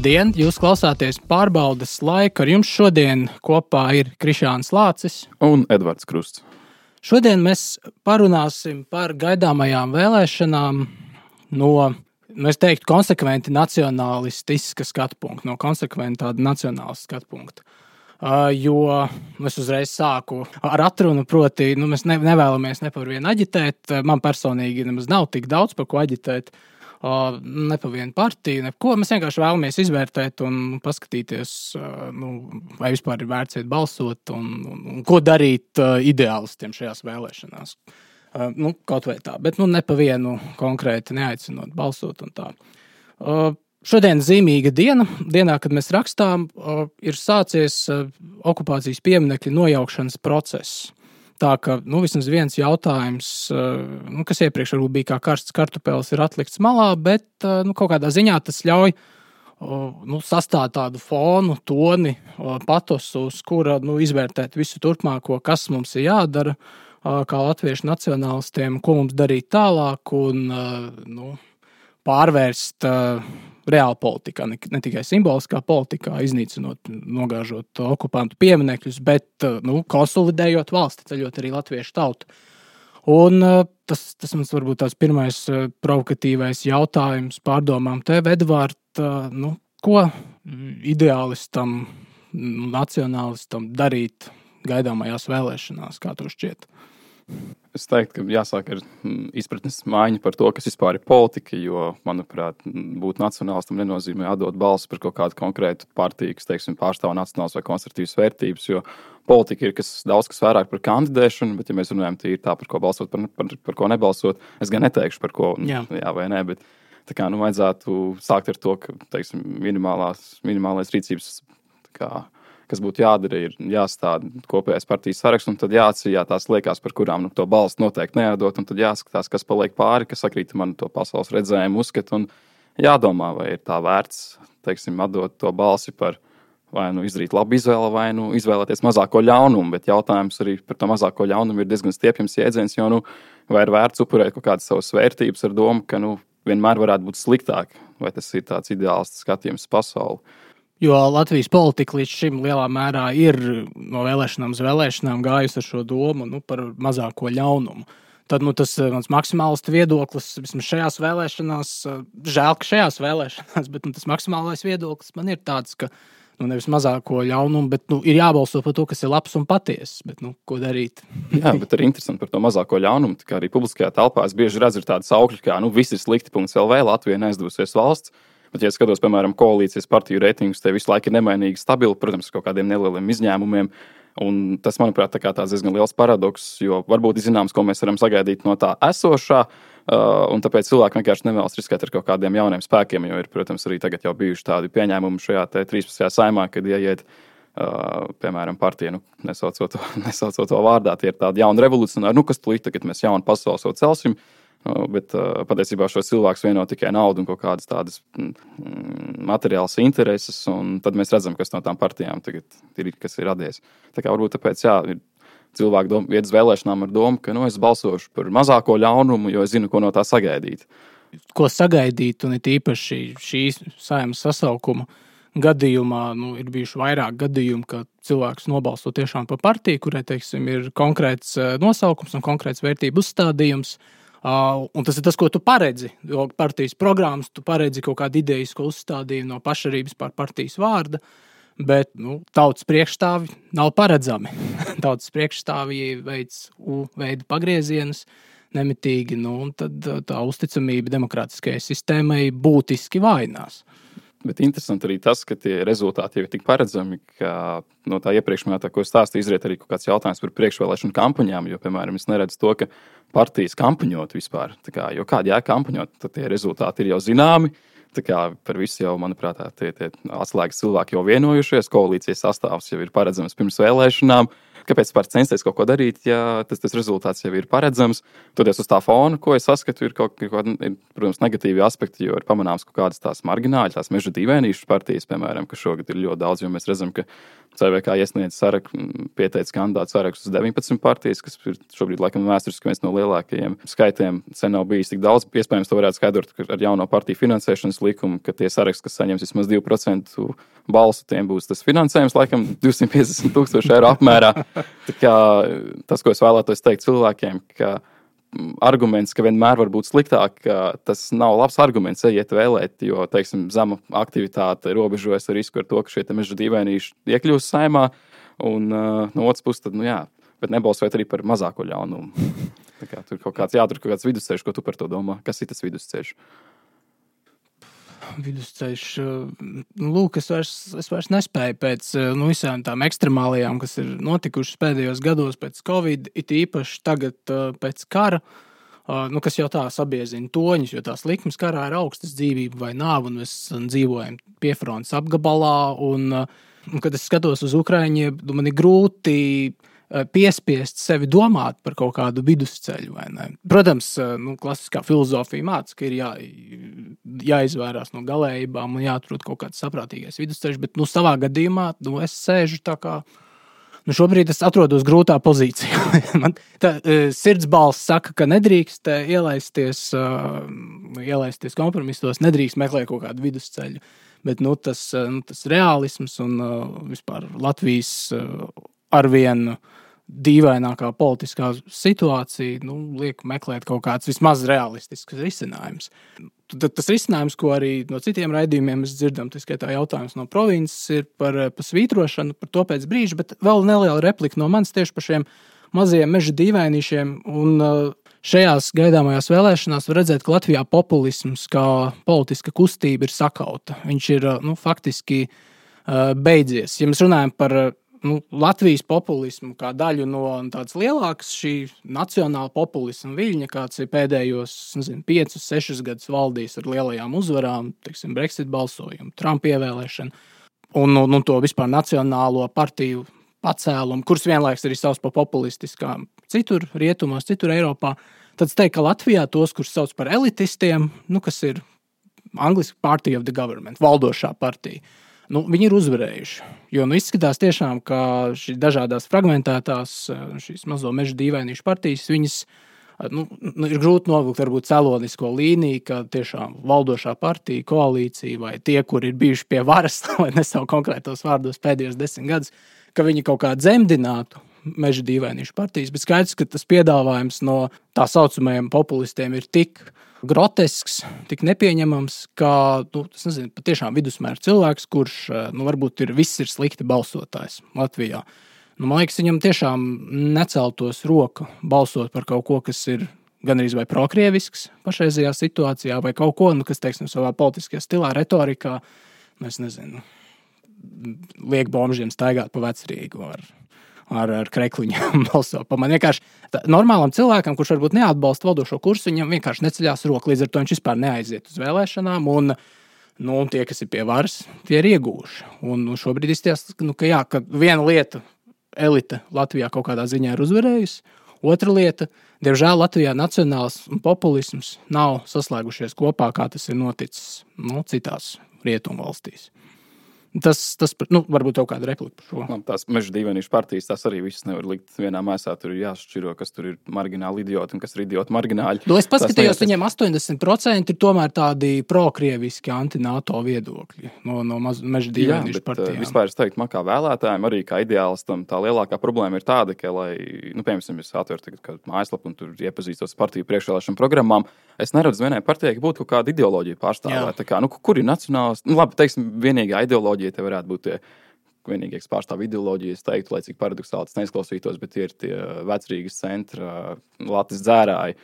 Labdien! Jūs klausāties pārbaudes laiku. Ar jums šodien kopā ir Krišāns Lācis un Edvards Krusts. Šodien mēs parunāsim par gaidāmajām vēlēšanām no, es teiktu, konsekventi nacionālistiska skatu punkta, no konsekventi tāda nacionālistiska skatu punkta. Jo es uzreiz sāku ar atrunu, proti, mēs nevēlamies ne par vienu aģitēt. Man personīgi nemaz nav tik daudz par ko aģitēt. Ne pa vienu partiju, neko. Mēs vienkārši vēlamies izvērtēt un paskatīties, vai vispār ir vērts iet balsot un ko darīt ideālistiem šajās vēlēšanās. Kaut vai tā, bet ne pa vienu konkrēti neaicinot balsot un tā. Šodien zīmīga dienā, kad mēs rakstām, ir sācies okupācijas pieminekļa nojaukšanas process. Tā ka vismaz viens jautājums, kas iepriekš varbūt bija kā karsts kartupelis, ir atlikts malā, bet kaut kādā ziņā tas ļauj sastāt tādu fonu, toni, patosu, uz kura izvērtēt visu turpmāko, kas mums ir jādara, kā latviešu nacionālistiem, ko mums darīt tālāk un pārvērst reāli politikā, ne tikai simboliskā politikā, iznīcinot, nogāžot okupantu pieminekļus, bet konsolidējot valsti, ceļot arī latviešu tautu. Un tas mums varbūt tāds pirmais provokatīvais jautājums pārdomām tev, Edvard, ko ideālistam, nacionālistam darīt gaidāmajās vēlēšanās, kā to šķiet? Es teiktu, ka jāsāk ar izpratnes maiņu par to, kas vispār ir politika, jo, manuprāt, būt nacionālistam nenozīmē atdot balsi par kaut kādu konkrētu partiju, kas, pārstāv nacionālas vai konservatīvas vērtības, jo politika ir daudz kas vairāk par kandidēšanu, bet, ja mēs runājam tīri tā, par ko balsot, par ko nebalsot, es gan neteikšu, par ko jā vai nē, bet tā kā, vajadzētu sākt ar to, ka, minimālais rīcības, kas būtu jādara, ir jāstāda kopējais partijas saraksts, un tad jāatceļ tās liekas, par kurām to balstu noteikti nejādot, un tad jāskatās, kas paliek pāri, kas sakrīt man to pasaules redzējumu uzskatu, un jādomā, vai ir tā vērts, atdot to balsi par vai izdarīt labu izvēli, vai izvēlēties mazāko ļaunumu, bet jautājums arī par to mazāko ļaunumu ir diezgan stiepjams jēdziens, jo, vai ir vērts upurēt kaut kādas savas vērtības ar domu, ka, vienmēr varētu būt sliktāk, vai tas ir tāds ideāls skatījums pasauli. Jo Latvijas politika līdz šim lielā mērā ir no vēlēšanām uz vēlēšanām gājusi ar šo domu par mazāko ļaunumu. Tad tas mans maksimālistu viedoklis vismaz šajās vēlēšanās, žēl, ka šajās vēlēšanās, bet tas maksimālais viedoklis man ir tāds, ka nevis mazāko ļaunumu, bet ir jābalso par to, kas ir labs un patiess, bet ko darīt? Jā, bet arī interesanti par to mazāko ļaunumu, kā arī publiskajā telpā es bieži redzu tādu saukļu, kā viss ir slikti.lv, Latvija neizdevusies valsts. Bet, ja skatos, piemēram, koalīcijas partiju reitingus, te visu laiku ir nemainīgi stabili, protams, ar kaut kādiem nelieliem izņēmumiem. Un tas, manuprāt, tāds diezgan liels paradoks, jo varbūt ir zināms, ko mēs varam sagaidīt no tā esošā, un tāpēc cilvēki vienkārši nevēlas riskēt ar kaut kādiem jauniem spēkiem, jo ir, protams, arī tagad jau bijuši tādi pieņēmumi šajā 13. saimā, kad ieiet, piemēram, partija, nesaucot to vārdā, tie ir tādi jauni revolucionāri, kas tulīt, tagad mēs jaunu pasauli so celsim. Bet patiesībā šo cilvēku vieno tikai naudu un kaut kādas tādas materiālas intereses, un tad mēs redzam, kas no tām partijām tagad ir, kas ir radies. Tā kā varbūt tāpēc, ir cilvēki iet uz vēlēšanām ar domu, ka es balsošu par mazāko ļaunumu, jo es zinu, ko no tā sagaidīt. Ko sagaidīt, un it īpaši šīs saeimas sasaukuma gadījumā, ir bijuši vairāk gadījumu, ka cilvēks nobalso tiešām par partiju, kurai, ir konkrēts nosaukums un konkrēts vērtību uzstādījums. Un tas ir tas, ko tu paredzi, jo partijas programmas tu paredzi kaut kādu idejisko uzstādījumu no pašarības pār partijas vārda, bet tautas priekšstāvi nav paredzami. Tautas priekšstāvi veids U-veida pagriezienus nemitīgi, un tad tā uzticamība demokrātiskajai sistēmai būtiski vājinās. Bet interesanti arī tas, ka tie rezultāti jau ir tik paredzami, ka no tā iepriekšējā, ko es stāstīju, izriet arī kaut kāds jautājums par priekšvēlēšanu kampaņām, jo, piemēram, es neredzu to, ka partijas kampaņot vispār. Jo kādi kampaņot, tad tie rezultāti ir jau zināmi. Par visu jau, manuprāt, tie atslēgas cilvēki jau vienojušies, koalīcijas sastāvs jau ir paredzams pirms vēlēšanām. kāpēc par censties kaut ko darīt, ja tas rezultāts jau ir paredzams. Toties uz tā fona, ko es saskatu, ir protams, negatīvi aspekti, jo ir pamanāms kaut kādas tās margināļi, tās meža dīvainīšu partijas, piemēram, ka šogad ir ļoti daudz, jo mēs redzam, ka CVK iesniedz pieteicis kandidātu sarakstu uz 19 partijas, kas ir šobrīd laikam vēsturiski viens no lielākajiem skaitiem. Sen nav bijis tik daudz. Iespējams, to varētu skaidrot ar jauno partiju finansēšanas likumu, ka tie saraksti, kas saņems vismaz 2% balsu, tiem būs tas finansējums laikam 250,000 eiro apmērā. Tā kā tas, ko es vēlētos teikt cilvēkiem, ka arguments, ka vienmēr var būt sliktāk, tas nav labs arguments, ejiet vēlēt, jo, teiksim, zema aktivitāte robežojas ar risku ar to, ka šie meža dīvainīši iekļūs saimā, un no otras puses, tad, bet nebalsojot arī par mazāko ļaunumu. Tā kā tur kaut kāds vidusceļš, ko tu par to domā? Kas ir tas vidusceļš? Vidusceļš, lūk, es vairs nespēju pēc visām tām ekstremālajām, kas ir notikušas pēdējos gados pēc Covid, it īpaši tagad pēc kara, kas jau tā sabiezina toņus, jo tās likmes karā ir augstas dzīvība vai nāva, un mēs dzīvojam piefrontes apgabalā, un kad es skatos uz Ukraiņiem, man ir grūti piespiest sevi domāt par kaut kādu vidusceļu, vai ne? Protams, klasiskā filozofija māca, ka ir jāizvērās no galējībām un jāatrod kaut kāds saprātīgais vidusceļš, bet, savā gadījumā, es sēžu tā kā, šobrīd es atrodos grūtā pozīcijā. Man sirds balss saka, ka nedrīkst ielaisties kompromisos, nedrīkst meklēt kaut kādu vidusceļu, bet, tas reālisms un vispār Latvijas arvien dīvainākā politiskā situācija, liek meklēt kaut kāds vismaz realistisks risinājums. Tas risinājums, ko arī no citiem raidījumiem mēs dzirdam, tas skaitā jautājums no provinces, ir par svītrošanu, par to pēc brīža, bet vēl neliela replika no manis tieši par šiem mazajiem meža dīvainīšiem, un šajās gaidāmajās vēlēšanās var redzēt, ka Latvijā populisms kā politiska kustība ir sakauta. Viņš ir, faktiski beidzies. Ja mēs runājam par Latvijas populismu kā daļu no tādas lielākas šī nacionāla populisma viļņa, kāds ir pēdējos 5-6 gadus valdījis ar lielajām uzvarām, teiksim, Brexit balsojumu, Trumpa ievēlēšanu un to vispār nacionālo partiju pacēlumu, kuras vienlaiks arī savs par populistiskām citur rietumos, citur Eiropā, tad es teiktu, ka Latvijā tos, kurus sauc par elitistiem, kas ir angliski party of the government, valdošā partija, viņi ir uzvarējuši, jo izskatās tiešām, ka šīs dažādās fragmentētās, šīs mazo meža dīvainīšu partijas, viņas ir grūti novilkt varbūt celonisko līniju, ka tiešām valdošā partija, koalīcija vai tie, kur ir bijuši pie varas, lai nesauc konkrētos vārdos pēdējos 10 gadus, ka viņi kaut kā dzemdinātu meža dīvainīšu partijas, bet skaidrs, ka tas piedāvājums no tā saucamajiem populistiem ir tik grotesks, tik nepieņemams, ka, patiešām vidusmēra cilvēks, kurš, varbūt viss ir slikti balsotājs Latvijā. Man liekas, viņam tiešām neceltos roku balsot par kaut ko, kas ir gan arī vai prokrievisks pašreizajā situācijā, vai kaut ko, kas, teiksim, savā politiskajā stilā, retorikā, liek bomžiem staigāt pa Vecrīgu ar krekliņiem balso. Man vienkārši normālam cilvēkam, kurš varbūt neatbalsta valdošo kursu, viņam vienkārši neceļās roku, līdz ar to viņš vispār neaiziet uz vēlēšanām, un tie, kas ir pie varas, tie ir iegūši. Un šobrīd izties, ka viena lieta elite Latvijā kaut kādā ziņā ir uzvarējusi, otra lieta, diemžēl Latvijā nacionāls un populisms nav saslēgušies kopā, kā tas ir noticis citās rietumu valstīs. Tas varbūt tev kāda replika par šo. Tās meža dīvainīšu partijas, tās arī visas nevar likt vienā maisā. Tur ir jāšķiro, kas tur ir margināli idioti un kas ir idioti margināļi. Es paskatījos, viņiem 80% ir tomēr tādi prokrieviski anti-NATO viedokļi no meža dīvainīšu partijām. Vispār es teiktu, man kā vēlētājiem, arī kā ideālistam, tā lielākā problēma ir tāda, ka, lai, piemēram, es atveru tagad kādu mājaslapu un tur iepazīstos partiju priekšvēlēšanu programmām, es neredzu vienai partijai, ka būtu kaut kāda ideoloģija pārstāvēta. Kur ir nacionāls, labi, teiksim, vienīgā ideoloģija te varētu būt tie vienīgais pārstāv ideoloģijas, teiktu, lai cik paradoxāli tas neizklausītos, bet ir tie Vecrīgas centra, Latvijas dzērāji,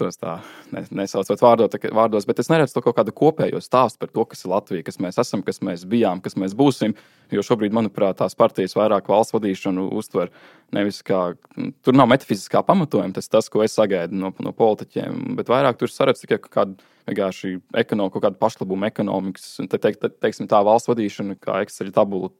tos tā nesaucot vārdos, bet es neredzu to kaut kādu kopējo stāstu par to, kas ir Latvija, kas mēs esam, kas mēs bijām, kas mēs būsim, jo šobrīd, manuprāt, tās partijas vairāk valsts vadīšanu uztver Nevis tur nav metafiziskā pamatojuma, tas, ko es sagaidu no politiķiem, bet vairāk tur saredz tikai kādu vienkārši kaut kādu pašlabumu ekonomikas, teiksim tā valsts vadīšana, kā Excel tabula,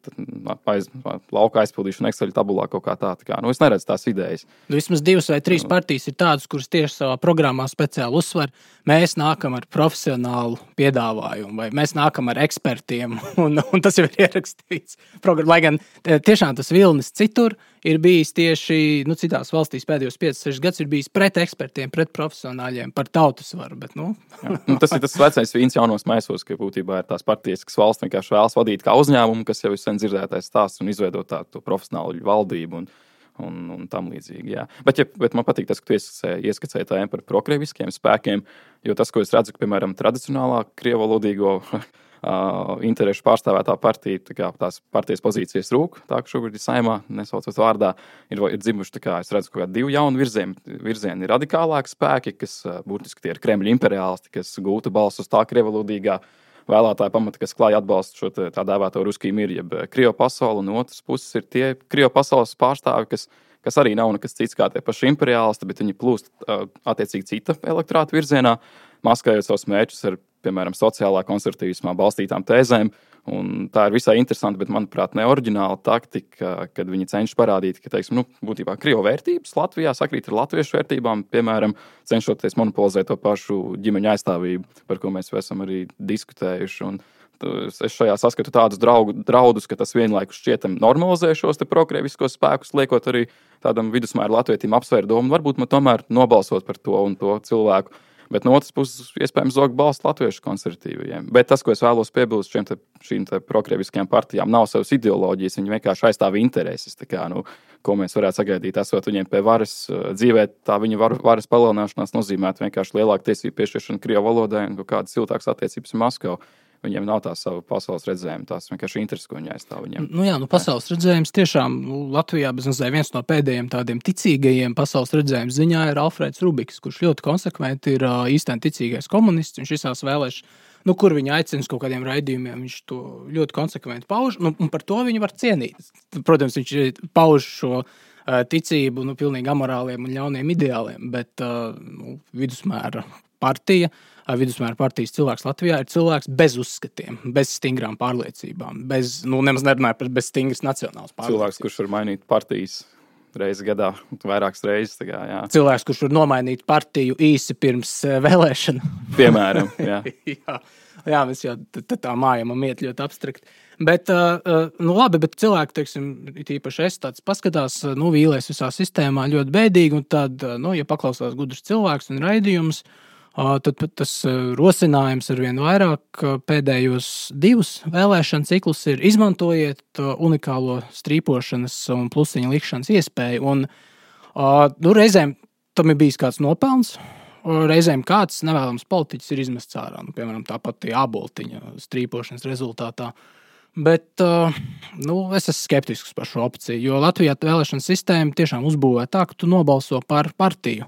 lauka aizpildīšana Excel tabulā kaut kā tā. Es neredzu tās idejas. Vismaz 2 vai 3 partijas ir tādas, kuras tieši savā programmā speciāli uzsver. Mēs nākam ar profesionālu piedāvājumu, vai mēs nākam ar ekspertiem, un tas jau ir ierakstīts. Lai gan tiešām tas vilnis citur ir bijis tieši citās valstīs pēdējos 5-6 gadus ir bijis pret ekspertiem, pret profesionāļiem, par tautas varu. Bet, tas ir tas vecais vīns jaunos maisos, ka būtībā ir tās partijas, kas valsts vienkārši vēlas vadīt kā uzņēmumu, kas jau ir sen dzirdētais stāsts un izveidot tādu profesionālu valdību un tam līdzīgi. Jā. Bet man patīk tas, ka tu ieskicēji tēmu par prokrieviskiem spēkiem, jo tas, ko es redzu, ka, piemēram, tradicionālā krievalodīgo interešu pārstāvētā partija, tās partijas pozīcijas rūk, tā ka šobrīd ir Saeimā, nesaucot vārdā, ir dzimuši, es redzu, ka 2 jauni virzieni ir radikālāki spēki, kas būtiski tie ir Kremļa imperiālisti, kas gūta balsus tā krievalodīgā vēlētāja pamata, kas klāja atbalstu šo tā dēvēto Ruskiju miru, jeb Krievu pasauli, un otras puses ir tie Krievu pasaules pārstāvi, kas arī nav nekas cits kā tie paši imperiālisti, bet viņi plūst attiecīgi cita elektorāta virzienā, maskējot savus mērķus ar, piemēram, sociālā konservatīvismā balstītām tēzēm. Un tā ir visai interesanti, bet, manuprāt, neoriģināla taktika, kad viņi cenšas parādīt, ka, būtībā Krievu vērtības Latvijā sakrīt ar latviešu vērtībām, piemēram, cenšoties monopolizēt to pašu ģimeņu aizstāvību, par ko mēs esam arī diskutējuši. Un es šajā saskatu tādus draudus, ka tas vienlaikus šķietam normalizē šos te prokrieviskos spēkus, liekot arī tādam vidusmēra latvietim apsvērt domu, varbūt man tomēr nobalsot par to un to cilvēku. Bet no otras puses, iespējams, zog balstu latviešu konservatīvajiem. Bet tas, ko es vēlos piebilst šīm prokrieviskajām partijām, nav savas ideoloģijas, viņi vienkārši aizstāv intereses. Ko mēs varētu sagaidīt, esot viņiem pie varas dzīvē, tā viņa varas palielināšanās nozīmētu vienkārši lielāku tiesību piešķiršanu Krievu valodai un kādas siltākas attiecības ar Maskavu. Viņiem nav tā sava pasaules redzējuma, tās vienkārši intereses, ko viņi aizstāv viņiem. Pasaules redzējums tiešām Latvijā viens no pēdējiem tādiem ticīgajiem pasaules redzējuma ziņā ir Alfrēds Rubiks, kurš ļoti konsekventi ir īstenībā ticīgais komunists. Viņš visās vēlēšanās, kur viņa aicina uz kaut kādiem raidījumiem, viņš to ļoti konsekventi pauž, un par to viņu var cienīt. Protams, viņš pauž šo ticību pilnīgi amorāliem un ļauniem ideāliem, bet vidusmēra partijas cilvēks Latvijā ir cilvēks bez uzskatiem, bez stingrām pārliecībām, nemaz nerunāju par bez stingras nacionālas pārliecības. Cilvēks, kurš var mainīt partijas reizi gadā, vairākas reizes. Jā. Cilvēks, kurš var nomainīt partiju īsi pirms vēlēšana. Piemēram, jā. jā, mēs jau tā mājam iet ļoti abstrakt. Bet, labi, bet cilvēki, īpaši es tāds paskatās, vīlies visā sistēmā ļoti bēdīgi, un tad, ja paklausās gudrs cilvēks un raidījums, tad tas rosinājums ar vien vairāk pēdējos 2 vēlēšanu ciklus ir izmantojiet unikālo strīpošanas un plusiņu likšanas iespēju. Un, reizēm tam ir bijis kāds nopelns, reizēm kāds nevēlams politiķis ir izmests ārā. Piemēram, tāpat Āboltiņa strīpošanas rezultātā. Bet es esmu skeptisks par šo opciju, jo Latvijā vēlēšana sistēma tiešām uzbūvē tā, ka tu nobalso par partiju,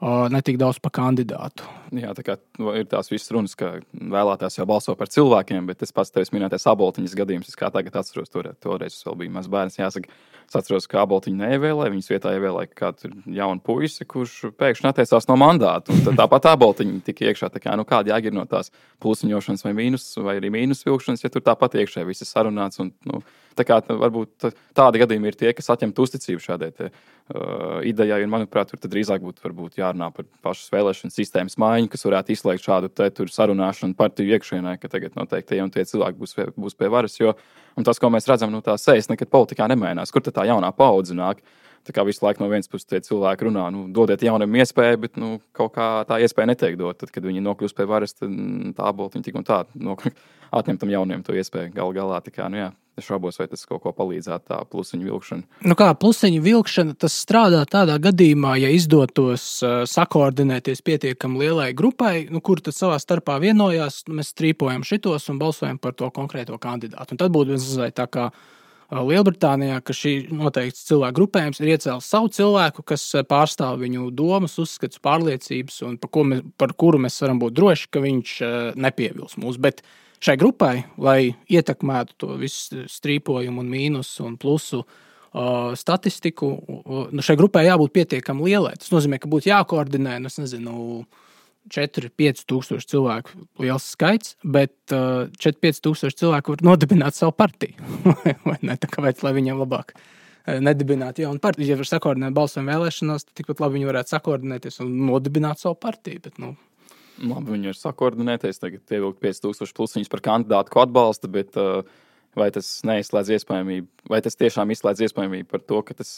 ne tik daudz par kandidātu. Jā, tā kā ir tās visas runas, ka vēlētājs jau balso par cilvēkiem, bet es pats tevis minētais Āboltiņas gadījums, es kā tagad atceros, toreiz vēl bija maz bērns, jāsaka, es atceros, ka Āboltiņu neievēlēja, viņas vietā ievēlēja kādu jaunu puisi, kurš pēkšņi atteicās no mandātu, un tad tāpat Āboltiņa tika iekšā, kāda jēga ir no tās plusiņošanas vai arī mīnus vilkšanas, ja tur tāpat iekšē viss ir sarunāts, un varbūt tādi gadījumi ir tie, kas atņemt uzticību šādai idejai, un manuprāt, tur tad drīzāk būtu jārunā par pašas vēlēšanas sistēmas maiņu, kas varētu izslēgt šādu sarunāšanu partiju iekšienē, ka tagad noteikti tie cilvēki būs pie varas, un tas, ko mēs redzam, tā sejas nekad politikā nemainās. Kur tad tā jaunā paudze nāk? Tā kā visu laiku no vienas puses tie cilvēki runā, dodiet jaunam iespēju, bet kaut kā tā iespēja netiek dot. Tad, kad viņi nokļūst pie varas, tad tā Āboltiņa tik un tā atņem tam jauniem to iespēju galā. Es šaubos, vai tas kaut ko palīdzētu tā plusiņu vilkšana. Kā plusiņu vilkšana, tas strādā tādā gadījumā, ja izdotos sakoordinēties pietiekami lielai grupai, kur tad savā starpā vienojās, mēs strīpojam šitos un balsojam par to konkrēto kandidātu. Un tad būtu tā kā Lielbritānijā, ka šī noteikts cilvēku grupējums ir iecēlis savu cilvēku, kas pārstāv viņu domas, uzskats, pārliecības un par kuru mēs varam būt droši, ka viņš nepievils mūs. Bet šai grupai, lai ietekmētu to visu strīpojumu un mīnusu un plusu statistiku. Šai grupai jābūt pietiekami lielai. Tas nozīmē, ka būtu jākoordinē, 4-5 tūkstoši cilvēku liels skaits, bet 4-5 tūkstoši cilvēku var nodibināt savu partiju. Vai ne? Tā kāpēc, lai viņiem labāk nedibināt jaunu partiju. Ja var sakoordinēt balsojumu vēlēšanās, tad tikpat labi viņi varētu sakoordinēties un nodibināt savu partiju. Bet, Labi, viņi var sakoordinēties, tagad pievilkt 5000 plus viņus par kandidātu, ko atbalsta, bet vai tas neizslēdz iespējamību, vai tas tiešām izslēdz iespējamību par to, ka tas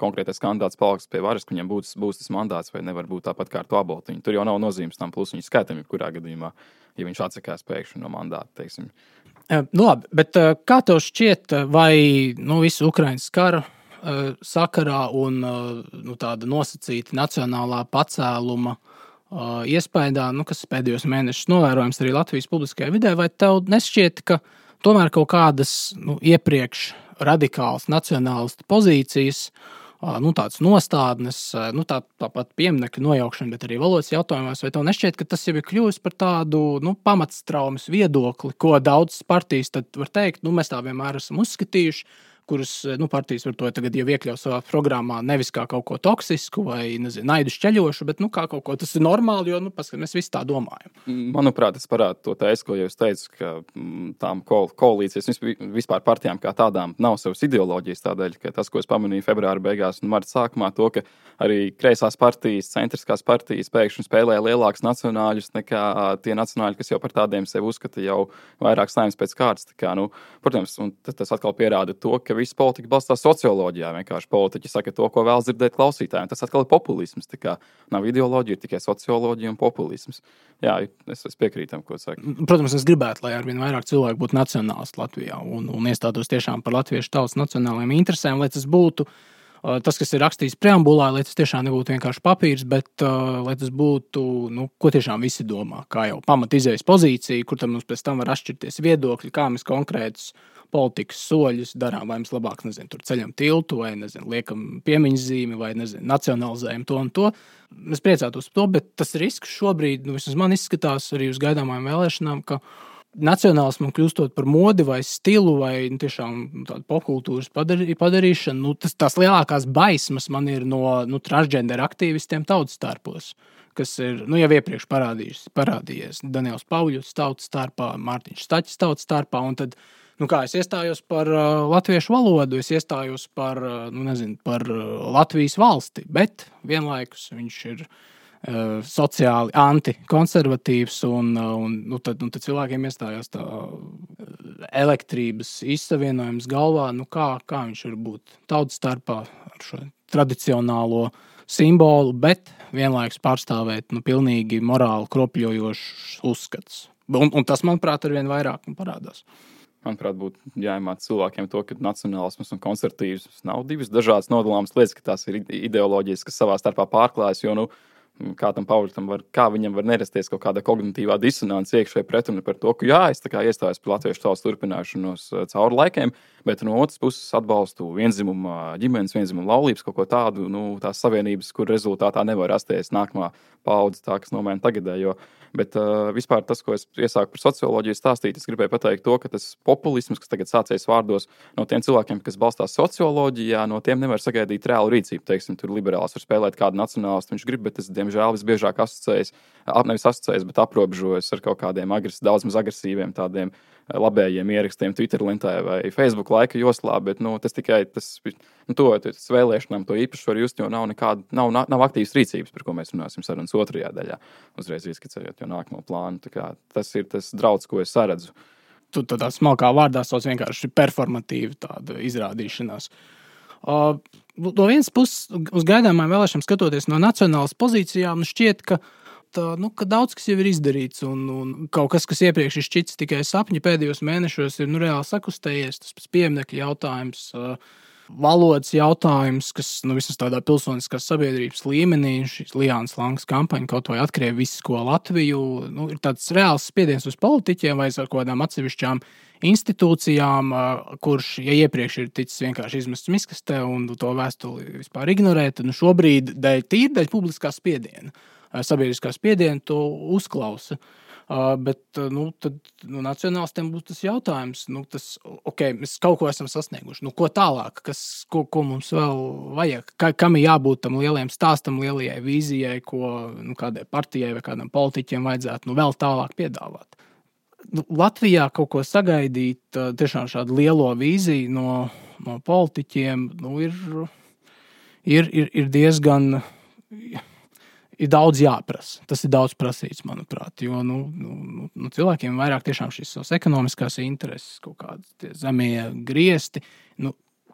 konkrētais kandidāts paliks pie varas, ka viņam būs tas mandāts, vai nevar būt tāpat kā ar to aboltiņu. Tur jau nav nozīmes tam plusiņu skaitam, jebkurā gadījumā, ja viņš atsakās pēkšņi no mandāta, teiksim. Labi, bet kā tev šķiet, vai visu Ukrainas kara sakarā un tāda nosacīta nacionālā pacēluma iespējā, kas pēdējos mēnešus novērojams arī Latvijas publiskajā vidē, vai tev nešķiet, ka tomēr kaut kādas iepriekš radikālas nacionālistu pozīcijas, tādas nostādnes, tāpat pieminekļu nojaukšana, bet arī valodas jautājumos, vai tev nešķiet, ka tas jau ir kļuvis par tādu pamatstraumes viedokli, ko daudzas partijas tad var teikt, mēs tā vienmēr esam uzskatījuši, kuras partijas var to tagad jau iekļaut savā programmā nevis kā kaut ko toksisku vai naidu šķeļošu, bet kā kaut ko tas ir normāli, jo mēs visi tā domājam. Manuprāt, tas parāda to teisu, ko jau es teicu, ka tām koalīcijas vispār partijām kā tādām nav savas ideoloģijas tādēļ, ka tas, ko es pamanīju februāra beigās un marta sākumā, to, ka arī kreisās partijas, centriskās partijas pēkšņi spēlē lielākus nacionāļus nekā tie nacionāļi, kas jau par tādiem sevi uzskata jau vairāk saimnes pēc kārtas. Protams, un tas atkal pierāda to, ka visa politika balstās socioloģijā. Vienkārši politiķi saka to, ko vēlas dzirdēt klausītājiem. Tas atkal ir populisms. Nav ideoloģija, tikai socioloģija un populisms. Jā, es piekrītu tam, ko saka. Protams, es gribētu, lai arvien vairāk cilvēku būtu nacionālisti Latvijā un iestātos tiešām par latviešu tautas nacionālajām interesēm, lai tas būtu tas, kas ir rakstīts preambulā, lai tas tiešām nebūtu vienkārši papīrs, bet lai tas būtu, ko tiešām visi domā, kā jau pamat izējas pozīcija, kur tam mums pēc tam var atšķirties viedokļi, kā mēs konkrētus politikas soļus darām, vai mēs labāk, tur ceļam tiltu, vai, liekam piemiņas zīmi, vai, nacionalizējam to un to. Mēs priecātos par to, bet tas risks šobrīd, vismaz man izskatās arī uz gaidāmajām vēlēšanām, ka nacionālismam kļūstot par modi vai stilu vai tiešām tādu popkultūras padarīšanu, tās lielākās baismas man ir no transgender aktīvistiem tautas starpos, kas ir jau iepriekš parādījies Daniels Pauļus tautas starpā, Mārtiņš Staķis tautas starpā, un tad, es iestājos par latviešu valodu, es iestājos par Latvijas valsti, bet vienlaikus viņš ir sociāli antikonservatīvs un tad cilvēkiem iestājās tā elektrības izsavienojums galvā, kā viņš var būt tautas starpā ar šo tradicionālo simbolu, bet vienlaikus pārstāvēt pilnīgi morāli kropļojošs uzskats. Un tas, manuprāt, arvien vairāk parādās. Manuprāt, būtu jāiemāc cilvēkiem to, ka nacionālisms un konservatīvisms nav divas dažādas nodalāmas lietas, ka tās ir ideoloģijas, kas savā starpā pārklājas, jo, kā tam Pauļam kā viņam var nerasties kaut kāda kognitīvā disonance iekšēji pretruna par to, ka es iestājos par latviešu tautas turpināšanos cauri laikiem, bet no otras puses atbalstu vienzimuma ģimenes, vienzimuma laulības, kaut ko tādu, tās savienības, kur rezultātā nevar rasties nākamā paudze, tā, kas nomēna tagadējo. Bet vispār tas, ko es iesāku par socioloģiju stāstīt, es gribēju pateikt to, ka tas populisms, kas tagad sācies vārdos no tiem cilvēkiem, kas balstās socioloģijā, no tiem nevar sagaidīt reālu rīcību. Teiksim, tur liberāls var spēlēt kādu nacionālistu, viņš grib, bet es, diemžēl, visbiežāk nevis asociējas, bet aprobežojas ar kaut kādiem daudz maz agresīviem tādiem labējiem ierakstiem Twitter lentē vai Facebook laika joslā, bet tas tikai tas vēlēšanām to īpaši var just, jo nav aktīvas rīcības, par ko mēs runāsim sarunas otrajā daļā, uzreiz ieskicējot jau nākamo plānu. Tas ir tas draudz, ko es saredzu. Tu tādā smalkā vārdā sauc vienkārši performatīva tāda izrādīšanās. No vienas puses, uz gaidāmām vēlēšanām skatoties no nacionālas pozīcijām, šķiet, ka daudz kas jau ir izdarīts, un kaut kas iepriekš ir šķits tikai sapņi, pēdējos mēnešos ir reāli sakustējies. Tas pieminekļu jautājums, valodas jautājums, kas vismaz tādā pilsoniskās sabiedrības līmenī, šīs Lijānas Langas kampaņa, kaut vai atkriev visu, ko Latviju, ir tāds reāls spiediens uz politiķiem vai ar kādām atsevišķām institūcijām, kurš, ja iepriekš ir ticis vienkārši izmests miskastē un to vēstuli vispār ignorēt, šobrīd dēļ publiskā spiediena, sabiedriskā spiediena to uzklausa. Bet tad nacionālistiem būs tas jautājums, mēs kaut ko esam sasnieguši. Ko tālāk, ko mums vēl vajag? Kam ir jābūt tam lielajam stāstam, lielajai vīzijai, ko kādai partijai vai kādam politiķiem vajadzētu vēl tālāk piedāvāt? Latvijā kaut ko sagaidīt, tiešām šādu lielo vīziju no politiķiem, ir diezgan. Ir daudz jāprasa. Tas ir daudz prasīts, manuprāt. Jo cilvēkiem vairāk tiešām šīs savas ekonomiskās intereses, kaut kādi zemie griesti,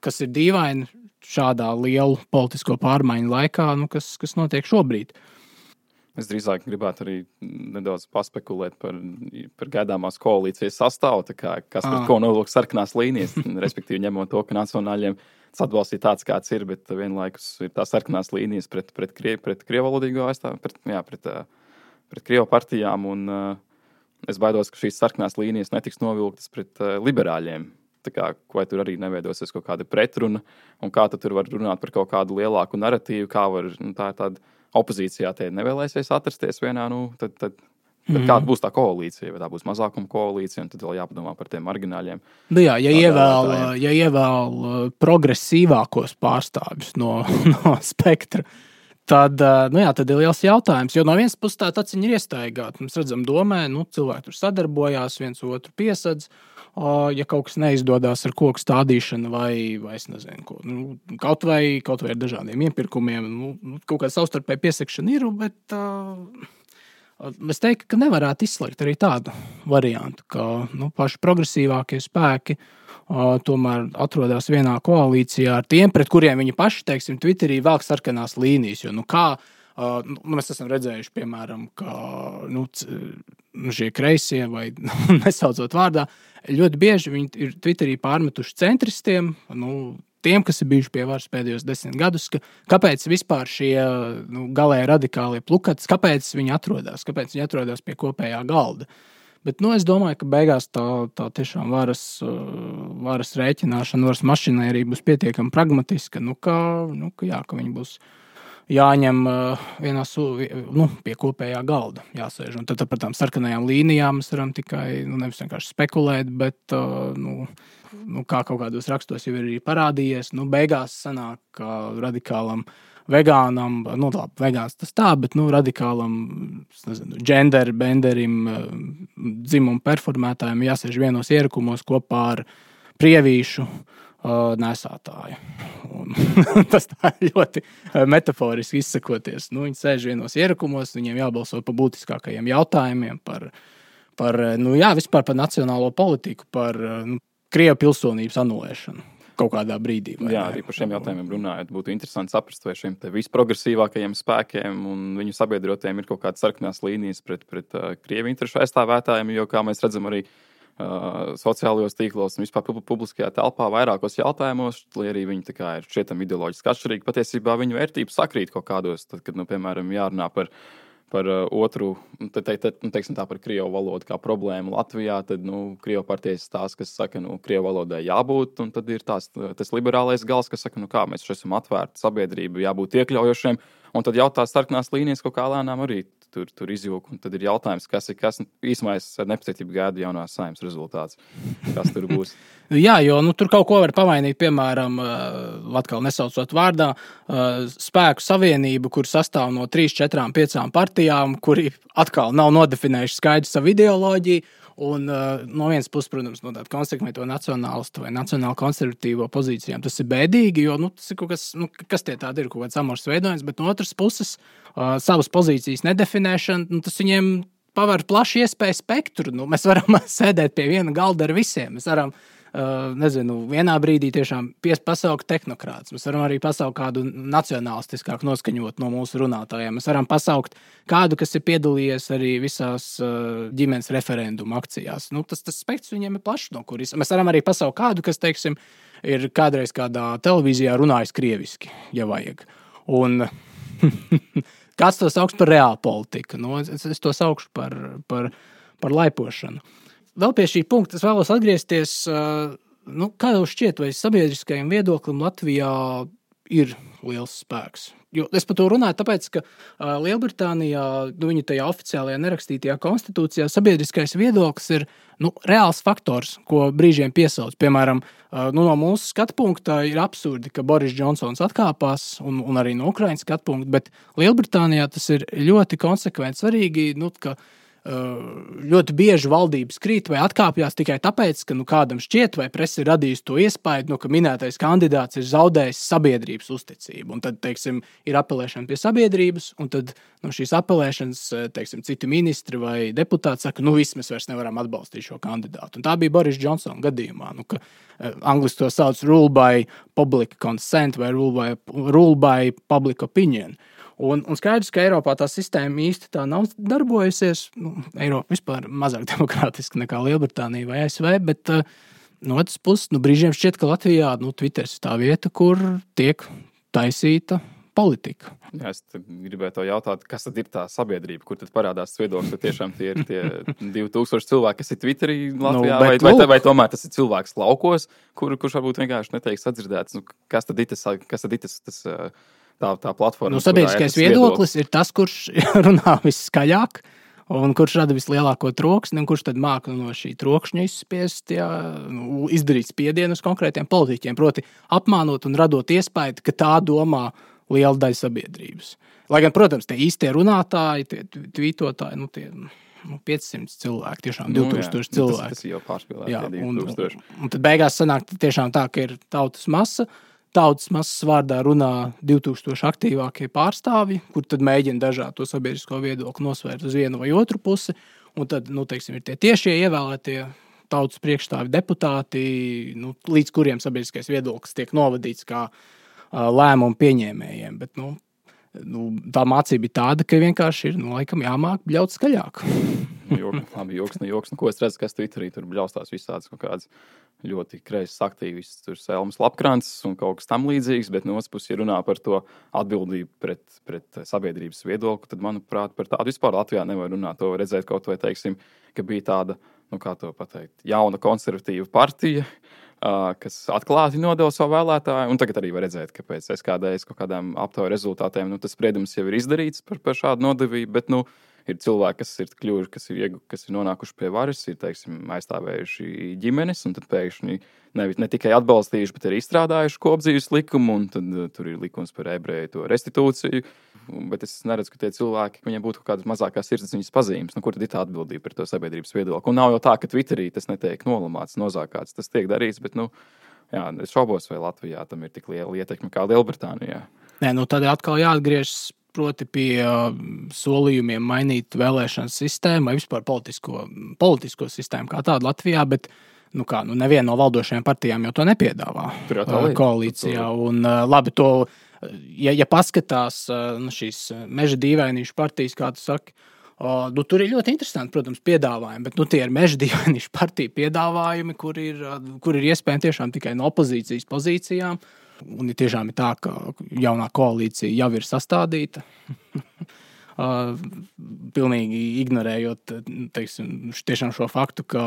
kas ir dīvaini šādā lielu politisko pārmaiņu laikā, kas notiek šobrīd. Es drīzāk gribētu arī nedaudz paspekulēt par gaidāmās koalīcijas sastāvu, kas par ko nolūk sarkanās līnijas, respektīvi ņemot to, ka nacionāļiem tas atbalsts ir tāds, kāds ir, bet vienlaikus ir tās sarkanās līnijas pret krievalodīgo aizstāvu, pret krievu partijām, un es baidos, ka šīs sarkanās līnijas netiks novilktas pret liberāļiem. Vai tur arī neveidosies kaut kāda pretruna, un kā tur var runāt par kaut kādu lielāku narratīvu, kā var, tā ir tāda opozīcijā te nevēlēsies atrasties vienā, tad kāda būs tā koalīcija, vai tā būs mazākuma koalīcija, un tad vēl jāpadomā par tiem margināļiem. Ja ievēl progresīvākos pārstāvjus no spektra, tad ir liels jautājums, jo no vienas puses tā taciņa ir iestaigāta. Mēs redzam domē, cilvēki tur sadarbojās, viens otru piesadz, ja kaut kas neizdodas ar koku stādīšanu vai es nezinu, ko. Kaut vai ar dažādiem iepirkumiem, kaut kāda savstarpēja piesakšana ir, bet es teiktu, ka nevarētu izslēgt arī tādu variantu, ka paši progresīvākie spēki tomēr atrodas vienā koalīcijā ar tiem, pret kuriem viņi paši, teiksim, Twitterī velk sarkanās līnijas. Jo, mēs esam redzējuši, piemēram, ka šie kreisie, vai nesaucot vārdā, ļoti bieži viņi ir Twitterī pārmetuši centristiem, tiem, kas ir bijuši pie varas pēdējos 10 gadus, kāpēc vispār šie galēji radikālie plukatis, kāpēc viņi atrodas pie kopējā galda. Bet es domāju, ka beigās tā tiešām varas rēķināšana, varas mašīnai arī būs pietiekami pragmatiska, ka viņi būs jāņem pie kopējā galda, jāsēž. Un tad par tām sarkanajām līnijām mēs varam tikai nevis vienkārši spekulēt, bet kā kaut kādos rakstos jau ir arī parādījies, beigās sanāk, ka radikālam vegānam, vegāns tas tā, bet radikālam, gender benderim, dzimumu performētājiem jāsēž vienos ierakumos kopā ar prievīšu nesātāju. Tas tā ļoti metaforiski izsakoties. Viņi sēž vienos ierakumos, viņiem jābalso par būtiskākajiem jautājumiem, vispār par nacionālo politiku, par Krievu pilsonības anulēšanu kaut kādā brīdī. Jā, arī par šiem jautājumiem runājot, būtu interesanti saprast, vai šiem visprogresīvākajiem spēkiem un viņu sabiedrotiem ir kaut kādas sarkanās līnijas pret Krievu interešu aizstāvētājiem, jo, kā mēs redzam arī sociālajos tīklos un vispār publiskajā telpā vairākos jautājumos, lai arī viņi ir šķietami ideoloģiski atšķirīgi, patiesībā viņu vērtības sakrīt kaut kādos, tad, kad, piemēram, jārunā par otru, teiksim tā, par krievu valodu kā problēmu Latvijā, tad, krievu partijas tās, kas saka, krievu valodai jābūt, un tad ir tas liberālais gals, kas saka, kā mēs esam atvērti sabiedrību, jābūt iekļaujošiem, un tad jautās sarkanās līnijas kaut kā lēnām arī tur izjūk, un tad ir jautājums, kas īsumā es ar nepacietību gaidu jaunās Saeimas rezultāts, kas tur būs. Jā, jo tur kaut ko var pavainīt, piemēram, atkal nesaucot vārdā, spēku savienību, kur sastāv no 3, 4, 5 partijām, kuri atkal nav nodefinējuši skaidru savu ideoloģiju, un no vienas puses, protams, no tāda konsekvento nacionālistu vai nacionāli konservatīvo pozīcijām tas ir bēdīgi, jo tas ir kaut kas tie tādi ir, kaut kāds amors veidojums, bet no otras puses savas pozīcijas nedefinēšana, tas viņiem paver plašu iespēju spektru. Mēs varam sēdēt pie viena galda ar visiem. Mēs varam, vienā brīdī tiešām pasaukt tehnokrātus. Mēs varam arī pasaukt kādu nacionālistiskāku noskaņot no mūsu runātājiem. Mēs varam pasaukt kādu, kas ir piedalījies arī visās ģimenes referendumu akcijās. Tas spektrs viņiem ir plašs, no kuris. Mēs varam arī pasaukt kādu, kas, teiksim, ir kādreiz kādā televīzijā runājis krieviski, ja vajag. Un kāds to sauks par reālu politiku? Es to saukšu par laipošanu. Vēl pie šī punkta es vēlos atgriezties, kā jau šķiet, vai sabiedriskajam viedoklim Latvijā ir liels spēks Jo es par to runāju, tāpēc, ka Lielbritānijā, viņa tajā oficiālajā nerakstītajā konstitūcijā sabiedriskais viedoklis ir reāls faktors, ko brīžiem piesauc. Piemēram, no mūsu skatu punkta ir absurdi, ka Boris Džonsons atkāpās, un arī no Ukrainas skatu punkta, bet Lielbritānijā tas ir ļoti konsekventi svarīgi, ka ļoti bieži valdības krīt vai atkāpjas tikai tāpēc, ka kādam šķiet, vai presa ir radījusi to iespēju, ka minētais kandidāts ir zaudējis sabiedrības uzticību. Un tad, teiksim, ir apelēšana pie sabiedrības, un tad šīs apelēšanas, teiksim, citi ministri vai deputāti saka, viss mēs vairs nevaram atbalstīt šo kandidātu. Un tā bija Boris Džonsona gadījumā, ka angliski to sauc rule by public consent vai rule by public opinion. Un skaidrs, ka Eiropā tā sistēma īsti tā nav darbojusies. Eiropa vispār mazāk demokrātiska nekā Lielbritānija vai ASV, bet no otras puses, brīžiem šķiet, ka Latvijā Twitters ir tā vieta, kur tiek taisīta politika. Jā, es gribēju to jautāt, kas tad ir tā sabiedrība, kur tad parādās viedoklis, ka tiešām tie ir tie 2000 cilvēki, kas ir Twitterī Latvijā, vai tomēr tas ir cilvēks laukos, kurš varbūt vienkārši neteiks atdzirdēts. Kas tad ir tas tā platforma. Sabiedriskais viedoklis ir tas, kurš runā viskaļāk un kurš rada vislielāko troksni, un kurš tad māca no šī trokšņa izspiest, izdarīt spiedienu uz konkrētiem politiķiem, proti apmānot un radot iespēju, ka tā domā liela daļa sabiedrības. Lai gan, protams, tie īstie runātāji, tie tvītotāji, tie 500 cilvēki, tiešām 2000 cilvēki. Tas jau pārspīlēja 2000. Un tad beigās sanāk tiešām tā, ka ir tautas masa. Tautas masas vārdā runā 2000 aktīvākie pārstāvji, kur tad mēģina dažādu to sabiedrisko viedokli nosvērt uz vienu vai otru pusi. Un tad, teiksim, ir tie tiešie ievēlētie tautas priekšstāvi deputāti, līdz kuriem sabiedriskais viedoklis tiek novadīts kā lēmumu pieņēmējiem. Bet, tā mācība ir tāda, ka vienkārši ir, laikam jāmāk bļaut skaļāk. Labi, joks. Ko es redzu, kas Twitterī tur bļaustās visādas kaut kādas ļoti kreisas aktīvistas, tur Selmas Lapkrants un kaut kas tam līdzīgs, bet no otras puses, ja runā par to atbildību pret sabiedrības viedokli, tad, manuprāt, par tādu vispār Latvijā nevar runāt. To var redzēt kaut vai, teiksim, ka bija tāda, kā to pateikt, jauna konservatīva partija, kas atklāti nodeva savu vēlētāju, un tagad arī var redzēt, ka pēc SKDS kaut kādām aptauju rezultātiem, tas spriedums jau ir izdarīts par šādu nodevību, bet, ir cilvēki, kas ir kļuvuši, kas ir nonākuši pie varas, ir, teiksim, aizstāvējuši ģimenes, un tad pēkšņi ne tikai atbalstījuši, bet arī izstrādājuši kopdzīves likumu, un tad tur ir likums par ebreju to restitūciju. Bet es neredzu, ka tie cilvēki, viņiem būtu kaut kādas mazākās sirdsapziņas pazīmes. Kur tad ir tā atbildība par to sabiedrības viedokli? Un nav jau tā, ka Twitterī tas netiek nolamāts, nozākāts. Tas tiek darīts, bet, es šaubos, vai Latvijā tam ir tik liela ietekme kā Lielbritānijā. Nē, tad atkal jāatgriežas proti pie solījumiem mainīt vēlēšanas sistēmu vai vispār politisko sistēmu kā tādu Latvijā, bet neviena no valdošajām partijām jau to nepiedāvā koalīcijā. Un labi, to, ja paskatās šīs meža dīvainīšu partijas, kā tu saki, tur ir ļoti interesanti, protams, piedāvājumi, bet tie ir meža dīvainīšu partiju piedāvājumi, kur ir iespējami tiešām tikai no opozīcijas pozīcijām. Un tiešām ir tā, ka jaunā koalīcija jau ir sastādīta, pilnīgi ignorējot, teiksim, tiešām šo faktu, ka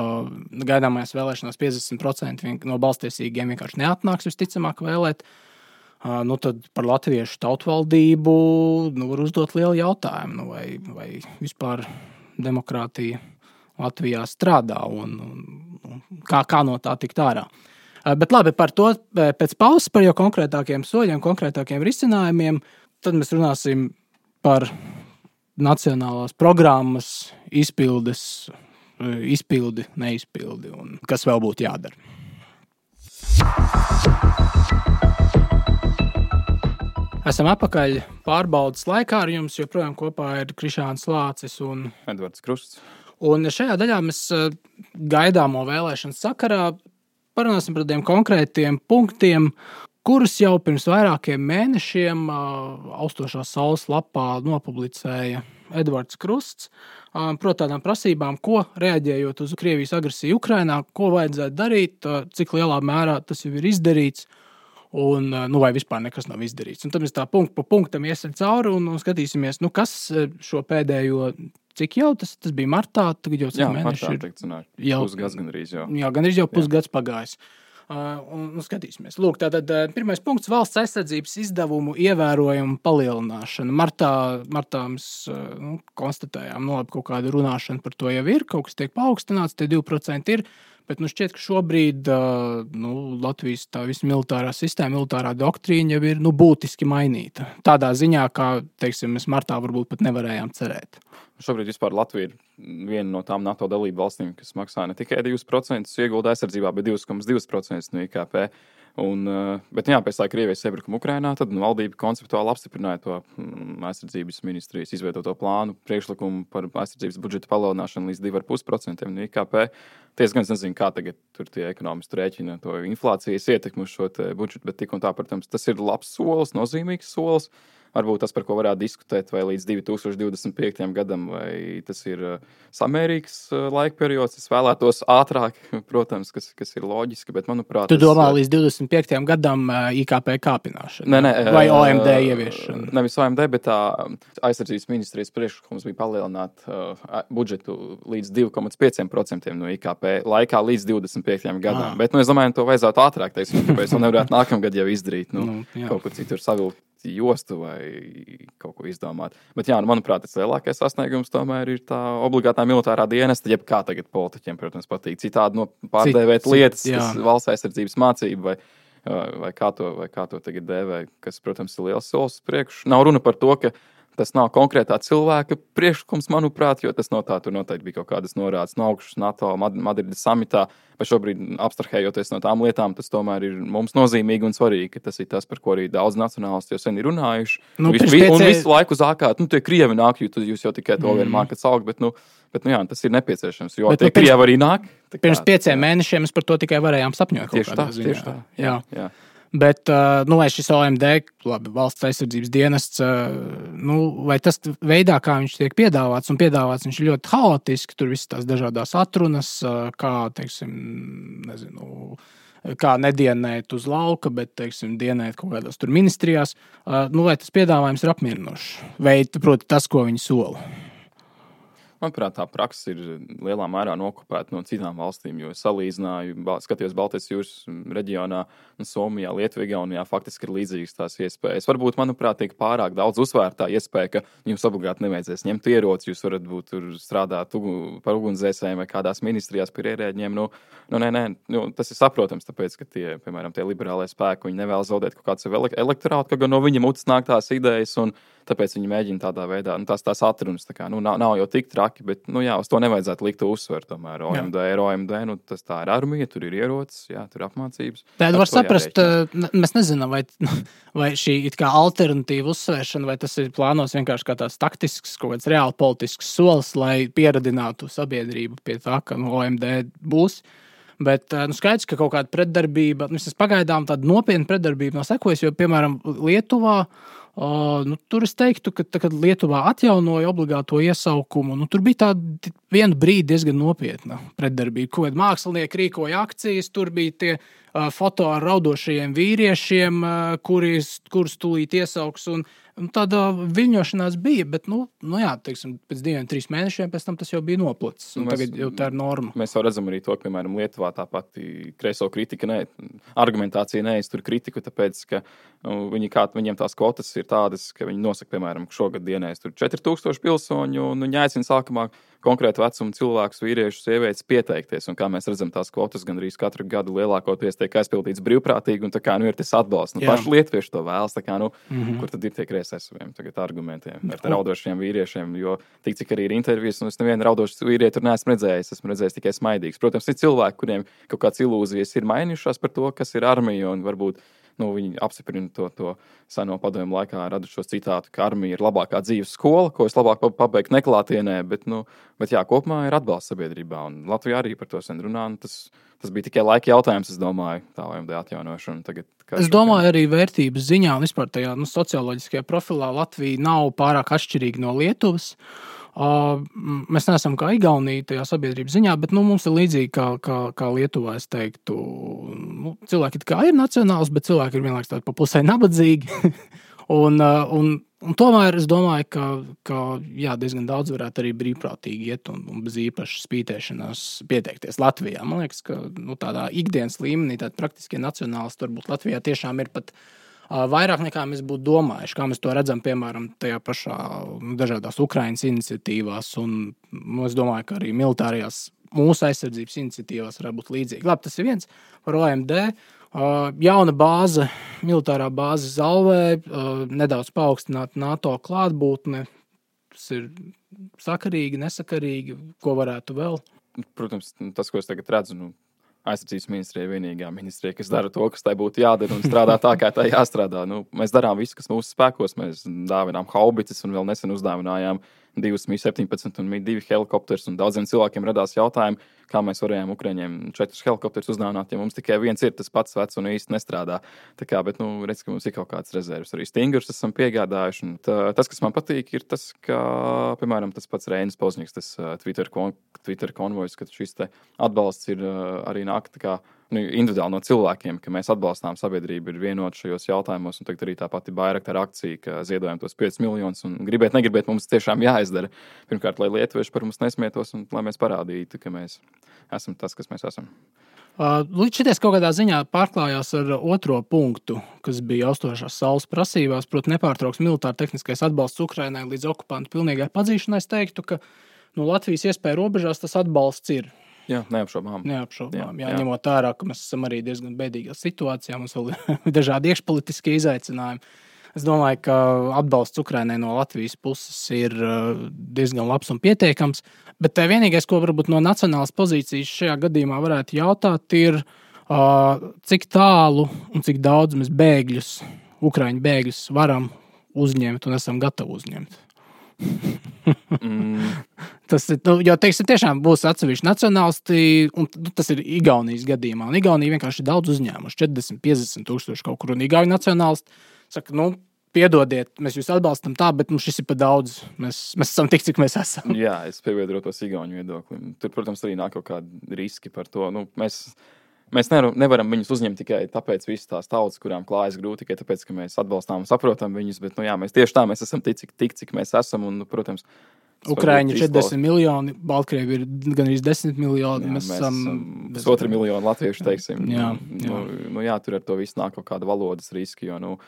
gaidāmajās vēlēšanās 50% no balstiesīgiem vienkārši neatnāks visticamāk vēlēt. Tad par latviešu tautvaldību var uzdot lielu jautājumu, vai vispār demokrātija Latvijā strādā un kā no tā tikt ārā. Bet labi, par to pēc pauzes, par jau konkrētākiem soļiem, konkrētākiem risinājumiem, tad mēs runāsim par nacionālās programmas izpildi, neizpildi un kas vēl būtu jādara. Esam atpakaļ pārbaudas laikā, ar jums joprojām kopā ir Krišāns Lācis un Edvards Krusts. Un šajā daļā mēs gaidāmo vēlēšanu sakarā parunāsim par tādiem konkrētiem punktiem, kurus jau pirms vairākiem mēnešiem Austošās saules lapā nopublicēja Edvards Krusts. Proti tādām prasībām, ko reaģējot uz Krievijas agresiju Ukrainā, ko vajadzētu darīt, cik lielā mērā tas jau ir izdarīts, un vai vispār nekas nav izdarīts. Un tad mēs tā punktu pa punktam iesim cauri un skatīsimies, kas šo pēdējo, cik jau tas bija martā, tagad jau cik mēneši ir. Pusgads gandrīz jau. Jā, gandrīz jau pusgads pagājis. Un skatīsimies. Lūk, tātad pirmais punkts - valsts aizsardzības izdevumu ievērojama palielināšana. Martā mēs konstatējām, kaut kāda runāšana par to jau ir, kaut kas tiek paaugstināts, tie 2% ir. Bet šķiet, ka šobrīd Latvijas tā visa militārā sistēma, militārā doktrīna jau ir būtiski mainīta. Tādā ziņā, kā mēs martā varbūt pat nevarējām cerēt. Šobrīd vispār Latvija ir viena no tām NATO dalību valstīm, kas maksā ne tikai 2% iegulda aizsardzībā, bet 2,2% no IKP. Bet pēc tā Krievijas iebrukuma Ukrainā, tad valdība konceptuāli apstiprināja to aizsardzības ministrijas izveidoto plānu priekšlikumu par aizsardzības budžeta palielināšanu līdz 2,5% no IKP. Es gan nezinu, kā tagad tur tie ekonomisti rēķina to inflācijas ietekmi uz šo budžetu, bet tik un tā, protams, tas ir labs solis, nozīmīgs solis. Varbūt tas, par ko varētu diskutēt, vai līdz 2025. gadam, vai tas ir samērīgs laika periods. Es vēlētos ātrāk, protams, kas ir loģiski, bet manuprāt... Tu domā līdz 25. gadam IKP kāpināšana? Nē. Vai OMD ieviešana? Nevis OMD, bet tā aizsardzības ministrijas priekšlikums bija palielināt budžetu līdz 2,5% no IKP laikā līdz 25. gadam. Bet, es domāju, to vajadzētu ātrāk, tāpēc to nevarētu nākamgad jau izdarīt. Kaut kur citur savilkt jostu vai kaut ko izdomāt. Bet, manuprāt, tas lielākais sasniegums tomēr ir tā obligātā militārā dienesta, jeb kā tagad politiķiem, protams, patīk citādi pārdēvēt lietas, kas valsts aizsardzības mācība vai kā to tagad dēvē, kas, protams, ir liels solis priekš. Nav runa par to, ka tas nav konkrētā cilvēka priekšlikums, manuprāt, jo tas no tā tur noteikti bija kaut kādas norādes no augšas NATO Madrides samitā, bet šobrīd abstrahējoties no tām lietām, tas tomēr ir mums nozīmīgi un svarīgi, ka tas ir tas, par ko arī daudz nacionālisti jau sen ir runājuši. Un visu laiku zākāt, tie Krievi nāk, jo jūs jau tikai to vien mākat saukt, bet tas ir nepieciešams, jo tie Krievi arī nāk. Pirms 5 mēnešiem mēs par to tikai varējām sapņot. Tieši tā. Jā. Bet, vai šis OMD, valsts aizsardzības dienests, vai tas veidā, kā viņš tiek piedāvāts, viņš ir ļoti haotiski, tur visas tās dažādās atrunas, kā, kā nedienēt uz lauka, bet, dienēt kaut kādās tur ministrijās, vai tas piedāvājums ir apmierinošs, vai, proti, tas, ko viņi sola. Manuprāt, tā praksa ir lielā mērā nokopēta no citām valstīm, jo es salīdzināju, skatījos Baltijas jūras reģionā, Somijā, Lietuvā, Igaunijā, faktiski ir līdzīgas tās iespējas. Varbūt, manuprāt, tiek pārāk daudz uzsvērtā iespēja, ka jums obligāti nevajadzēs ņemt ieroci, jūs varat būt tur strādāt par ugunsdzēsējiem vai kādās ministrijās par ierēģiem. Tas ir saprotams, tāpēc, ka tie liberālie spēki, viņi nevēlas zaudēt kaut kādu savu elektorātu, ka gan no viņa mutes nāk tās idejas, un tāpēc viņi mēģina tādā veidā, tās atrunas, nav jau tik traki, bet, uz to nevajadzētu likt uzsver, tomēr OMD, tas tā ir armija, tur ir ierocis, tur ir apmācības. Tad var saprast, mēs nezinām, vai šī it kā alternatīva uzsvēršana, vai tas ir plānos vienkārši kā tāds taktisks, kaut kāds reāli politisks solis, lai pieradinātu sabiedrību pie tā, ka OMD būs. Bet skaidrs, ka kaut kāda pretdarbība, pagaidām tāda nopietna pretdarbība nav sekojusi, jo, piemēram, Lietuvā, tur es teiktu, ka kad Lietuvā atjaunoja obligāto iesaukumu, tur bija tāda vienu brīdi diezgan nopietna pretdarbība. Kaut kādi mākslinieki rīkoja akcijas, tur bija tie foto ar raudošajiem vīriešiem, kurus tūlīt iesauks, un tāda viļņošanās bija, bet, pēc 2-3 mēnešiem pēc tam tas jau bija noplacis, un tagad jau tā ir norma. Mēs jau redzam arī to, ka, piemēram, Lietuvā tā pati kreiso kritika, argumentācija neiztur kritiku, tāpēc, ka viņiem tās kvotas ir tādas, ka viņi nosaka, piemēram, šogad dienēs tur 4000 pilsoņu, un viņi aicina sākumā konkrētu vecumu cilvēkus, vīriešus, sievietes pieteikties, un kā mēs redzam, tās kvotas gandrīz katru gadu lielākoties tiek aizpildīts brīvprātīgi, un ir tas atbalsts. Paši lietuvieši to vēlas, kur tad ir tie kreisē saviem tagad argumentiem ar raudošiem vīriešiem, jo tik cik arī ir intervijas, un es nevienu raudošu vīrieti tur neesmu redzējis, esmu redzējis tikai smaidīgs. Protams, ir cilvēki, kuriem kaut kāds ilūzijas ir mainījušās par to, kas ir armija, un varbūt viņi apstiprina to seno padomju laikā radušos citātu, ka armija ir labākā dzīves skola, ko es labāk pabeigtu neklātienē, bet kopumā ir atbalsts sabiedrībā, un Latvijā arī par to sen runā, un tas bija tikai laika jautājums, es domāju, tā OMD atjaunošana. Es domāju, arī vērtības ziņā un vispār tajā socioloģiskajā profilā Latvija nav pārāk atšķirīga no Lietuvas. Mēs neesam kā Igaunija tajā sabiedrības ziņā, bet mums ir līdzīgi kā Lietuvā, es teiktu. Cilvēki kā ir nacionāls, bet cilvēki ir vienlaikus tādi pa pusē nabadzīgi. Un tomēr es domāju, ka jā, diezgan daudz varētu arī brīvprātīgi iet un bez īpašas spītēšanās pieteikties Latvijā. Man liekas, ka tādā ikdienas līmenī tādi praktiskie nacionālisti varbūt Latvijā tiešām ir pat vairāk nekā mēs būtu domājuši. Kā mēs to redzam, piemēram, tajā pašā dažādās Ukrainas iniciatīvās. Un es domāju, ka arī militārajās mūsu aizsardzības iniciatīvās varētu būt līdzīgi. Labi, tas ir viens par OMD. Jauna bāze, militārā bāze Zalvē, nedaudz paaugstināta NATO klātbūtne. Tas ir sakarīgi, nesakarīgi, ko varētu vēl? Protams, tas, ko es tagad redzu, aizsardzības ministrija ir vienīgā ministrija, kas dara to, kas tai būtu jādara un strādā tā, kā tai jāstrādā. Mēs darām visu, kas mūsu spēkos. Mēs dāvinām haubicas un vēl nesen uzdāvinājām 2 Mi-17 un Mi-2 helikopterus. Daudziem cilvēkiem radās jautājumi, kā mēs varējām Ukraiņiem 4 helikopterus uzdāvināt, ja mums tikai viens ir tas pats vecs un īsti nestrādā. Bet, redz, ka mums ir kaut kāds rezerves. Arī stingrus esam piegādājuši. Tas, kas man patīk, ir tas, ka, piemēram, tas pats Reinis Pozņiks, tas Twitter konvojs, ka šis te atbalsts ir arī nāk tā kā individuāli no cilvēkiem, ka mēs atbalstām sabiedrību, ir vienoti šajos jautājumos. Un tagad arī tā pati Bairaktar akcija, ka ziedojam tos 5 miljonus un gribēt, negribēt, mums tiešām jāizdara. Pirmkārt, lai lietuvieši par mums nesmietos un lai mēs parādītu, ka mēs esam tas, kas mēs esam. Līdz šities kaut kādā ziņā pārklājās ar otro punktu, kas bija austošās saules prasībās, proti nepārtrauks militāra tehniskais atbalsts Ukrainai līdz okupantu pilnīgai padzīšanai. Es teiktu, ka Latvijas iespēja robežās tas atbalsts ir. Jā, neapšaubām. Jā, ņemot ārā, ka mēs esam arī diezgan bēdīgā situācijā, mums vēl ir dažādi iekšpolitiskie izaicinājumi. Es domāju, ka atbalsts Ukrainai no Latvijas puses ir diezgan labs un pietiekams, bet vienīgais, ko varbūt no nacionālas pozīcijas šajā gadījumā varētu jautāt, ir, cik tālu un cik daudz mēs Ukraiņu bēgļus varam uzņemt un esam gatavi uzņemt. Tas ir, jo, teiksim, tiešām būs atsevišķi nacionālisti, un tas ir Igaunijas gadījumā. Un Igaunija vienkārši ir daudz uzņēmuši, 40-50 tūkstoši kaut kur. Un Igauni nacionālisti saka, piedodiet, mēs jūs atbalstam tā, bet mums šis ir pa daudz. Mēs esam tik, cik mēs esam. Jā, es pievienotos Igauņu viedoklim. Tur, protams, arī nāk kaut kādi riski par to. Mēs nevaram viņus uzņemt tikai tāpēc visas tās tautas, kurām klājas grūti, tikai tāpēc, ka mēs atbalstām un saprotam viņus, bet, mēs tieši tā, mēs esam tik, cik mēs esam, un, protams, Ukraiņi ir 40 miljoni, Baltkrievi ir gan arī 10 miljoni. Mēs esam 2 miljoni latviešu, teiksim. Jā. Tur ar to visu nāk kaut kāda valodas riski, jo,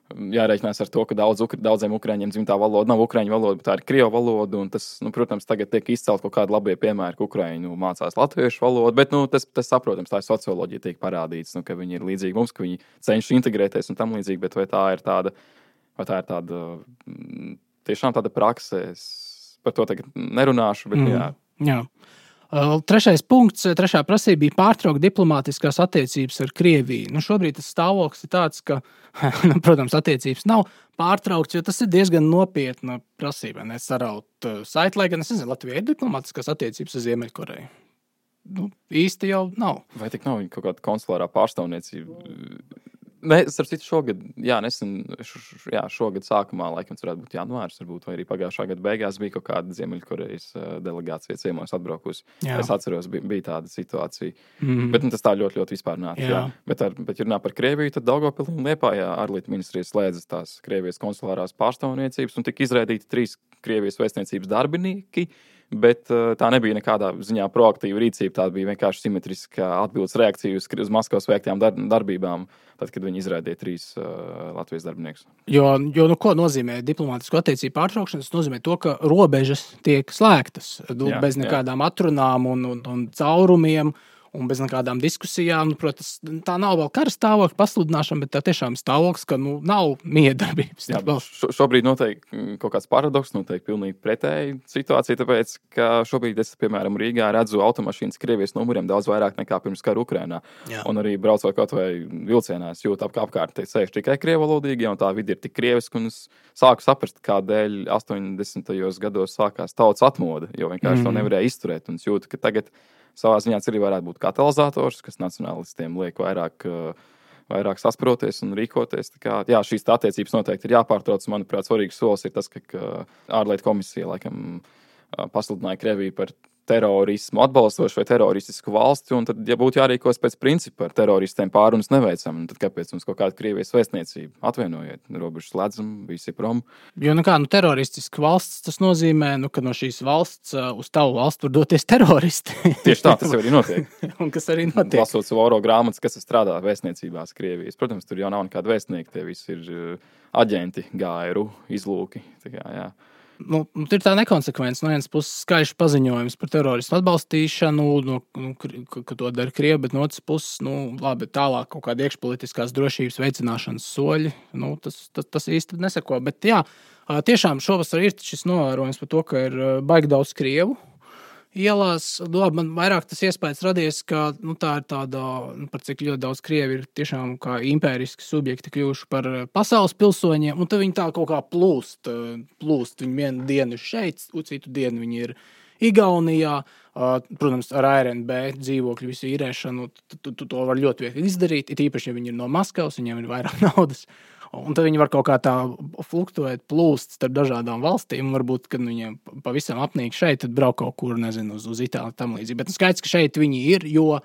jārēķinās ar to, ka daudziem Ukraiņiem dzimtā valoda nav Ukraiņu valoda, bet tā ir Krievu valoda, un tas, protams, tagad tiek izcelt kaut kādi labie piemēri, ka Ukraiņu mācās latviešu valodu, bet, tas saprotams, tā ir socioloģija tiek parādīts, ka viņi ir līdzīgi mums, ka viņi cenšas integrēties un tam līdzīgi, bet vai tā ir tāda tiešām tāda prakse, es par to tagad nerunāšu, bet jā. Trešais punkts, trešā prasība bija pārtraukt diplomātiskās attiecības ar Krieviju. Šobrīd tas stāvoklis ir tāds, ka, protams, attiecības nav pārtraukts, jo tas ir diezgan nopietna prasība. Saraut saiti, lai gan es nezinu, Latvijai ir diplomātiskās attiecības ar Ziemeļkoreju. Īsti jau nav. Vai tik nav kaut kāda konsulārā pārstāvniecība? Starp citu, šogad, šogad sākumā, laikam, varētu būt janvārs, varbūt, vai arī pagājušā gada beigās bija kaut kāda Ziemeļkorejas delegācija ciemos atbraukusi. Jā. Es atceros, bija tāda situācija. Bet tas tā ļoti, ļoti vispārnāti. Bet, ja runā par Krieviju, tad Daugavpilī un Liepājā ārlietu ministrijas slēdzas tās Krievijas konsulārās pārstāvniecības un tika izraidīti 3 Krievijas vēstniecības darbinieki. Bet tā nebija nekādā ziņā proaktīva rīcība. Tā bija vienkārši simetriska atbildes reakcija uz Maskavas veiktām darbībām, tad, kad viņi izraidīja 3 Latvijas darbiniekus. Jo ko nozīmē diplomātisko attiecību pārtraukšana? Tas nozīmē to, ka robežas tiek slēgtas bez nekādām atrunām un caurumiem. Un bez nekādām diskusijām, protams, tā nav vēl kara stāvokļa pasludināšana, bet tā tiešām stāvoklis, ka nav miedarbības. Jā, šobrīd notiek kaut kāds paradoks, notiek pilnīgi pretēji situācija, tāpēc, ka šobrīd es, piemēram, Rīgā redzu automašīnas Krievijas numuriem daudz vairāk nekā pirms kara Ukrainā. Jā. Un arī braucot kaut vai vilcienā, es jūtu apkārt sēž tikai krievalodīgi, un tā vidi ir tik krieviska, un es sāku saprast, kādēļ 80. gados sākās tautas atmoda, jo vienkārši to nevarēja izturēt, un es jūtu, ka tagad savā ziņā arī varētu būt katalizators, kas nacionālistiem liek vairāk sasproties un rīkoties. Šīs attiecības noteikti ir jāpārtrauc. Manuprāt, svarīgs solis ir tas, ka ārlietu komisija laikam pasludināja Krieviju par terorismu atbalstošu vai teroristisku valsti, un tad, ja būtu jārīkos pēc principa ar teroristiem pārunas neveicam, tad kāpēc mums kaut kāda Krievijas vēstniecība? Atvienojiet, robežas slēdzam, visi prom. Jo, teroristiska valsts, tas nozīmē, ka no šīs valsts uz tavu valstu var doties teroristi. Tieši tā, tas jau arī notiek. Un kas arī notiek? Lasot Savoro grāmatas, kas strādā vēstniecībās Krievijas. Protams, tur jau nav nekāda vēstnieka, tie visi ir aģenti, GRU, izlūki. Tā kā, jā. Ir tā nekonsekvence. No vienas puses skaļš paziņojums par teroristu atbalstīšanu, ka to dara Krievi, bet no otras puses, labi, tālāk kaut kāda iekšpolitiskās drošības veicināšanas soļi. Tas īsti neseko. Bet jā, tiešām šovasar ir šis novērojums par to, ka ir baigi daudz Krievu ielās. Man vairāk tas iespējas radies, ka tā ir tāda, par cik ļoti daudz Krievi ir tiešām kā impēriski subjekti kļuvuši par pasaules pilsoņiem, un tad viņi tā kaut kā plūst. Viņi vienu dienu ir šeit, citu dienu viņi ir Igaunijā. Protams, ar ARNB dzīvokļu visu īrēšanu to var ļoti viegli izdarīt, it īpaši, ja viņi ir no Maskavas, viņiem ir vairāk naudas. Un tad viņi var kaut kā tā fluktuēt, plūst starp dažādām valstīm. Varbūt, kad viņiem pavisam apnīk šeit, tad brauc kaut kur, nezinu, uz Itāliju tam līdzīgi. Bet skaidrs, ka šeit viņi ir, jo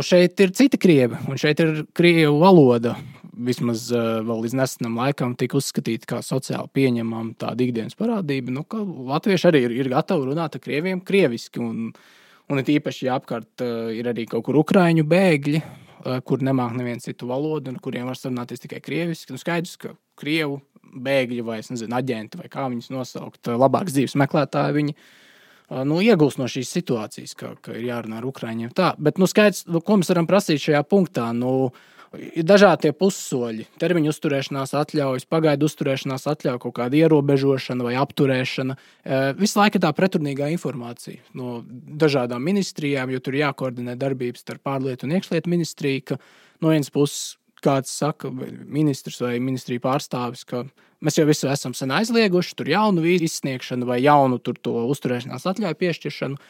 šeit ir citi Krievi, un šeit ir Krievu valoda. Vismaz vēl līdz nesenam laikam tika uzskatīta kā sociāli pieņemama tāda ikdienas parādība, ka latvieši arī ir gatavi runāt ar Krieviem krieviski. Un it īpaši, ja apkārt ir arī kaut kur ukraiņu bēgļi, kur nemāk nevienu citu valodu, un kuriem var sarunāties tikai krieviski. Skaidrs, ka Krievu bēgļi vai, aģenti vai kā viņus nosaukt, labāks dzīves meklētāji, viņi iegūst no šīs situācijas, ka ir jārunā ar ukraiņiem. Tā, bet skaidrs, ko mēs varam prasīt šajā punktā? Ir dažādi tie pussoļi, termiņu uzturēšanās atļaujas, pagaidu uzturēšanās atļauja, kaut kāda ierobežošana vai apturēšana. Visu laiku tā pretrunīgā informācija no dažādām ministrijām, jo tur jākoordinē darbības starp ārlietu un iekšlietu ministriju, ka no vienas puses kāds saka, ministrs vai ministrija pārstāvis, ka mēs jau visu esam sen aizlieguši, tur jaunu vīzu izsniegšanu vai jaunu tur to uzturēšanās atļauju piešķiršanu,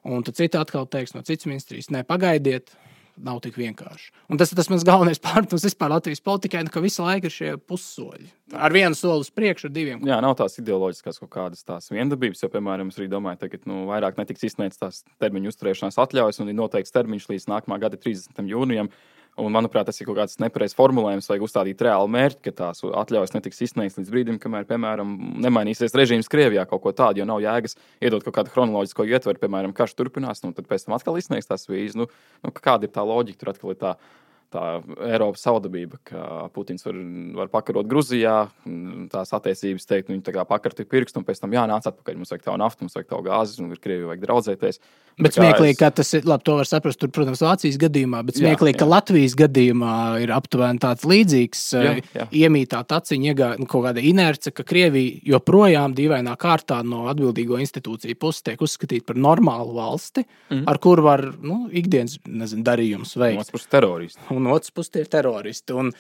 un tad cita atkal teiks no citas ministrijas, pagaidiet, nav tik vienkārši. Un tas mans galvenais pārmetums vispār Latvijas politikai, ka visu laiku ir šie pussoļi. Ar vienu soli uz priekšu, ar diviem. Jā, nav tās ideoloģiskās kaut kādas tās viendabības, jo, piemēram, es arī domāju, tagad vairāk netiks izsniegts tās termiņu uzturēšanās atļaujas, un ir noteikts termiņš līdz nākamā gada 30. jūnijam. Un, manuprāt, tas ir kaut kāds nepareizs formulējums, vajag uzstādīt reāli mērķi, ka tās atļaujas netiks izsniegts līdz brīdim, kamēr, piemēram, nemainīsies režīms Krievijā kaut ko tādu, jo nav jēgas iedot kaut kādu chronoloģisko ietveru, piemēram, karš turpinās, tad pēc tam atkal izsniegs tās vīzes. Kāda ir tā loģika? Tur atkal ir tā Eiropas savdabība, ka Putins var pakarot Gruzijā, tās attiecības teikt, viņi tā kā pakarti pirkstu, un pēc tam jānāc atpakaļ. Mums vajag tavu naftu, mums vajag tavu gāzi, un ar Krieviju vajag draudzēties. Bet smieklīgi, ka tas ir, labi, to var saprast, tur, protams, Vācijas gadījumā, bet smieklīgi, ka Latvijas gadījumā ir aptuveni tāds līdzīgs iemītā taciņa, kaut kāda inerce, ka Krievija joprojām dīvainā kārtā no atbildīgo institūciju puses tiek uzskatīta par normālu valsti, ar kur var, ikdienas, darījums veikt. Un otrs puses tie ir teroristi. Un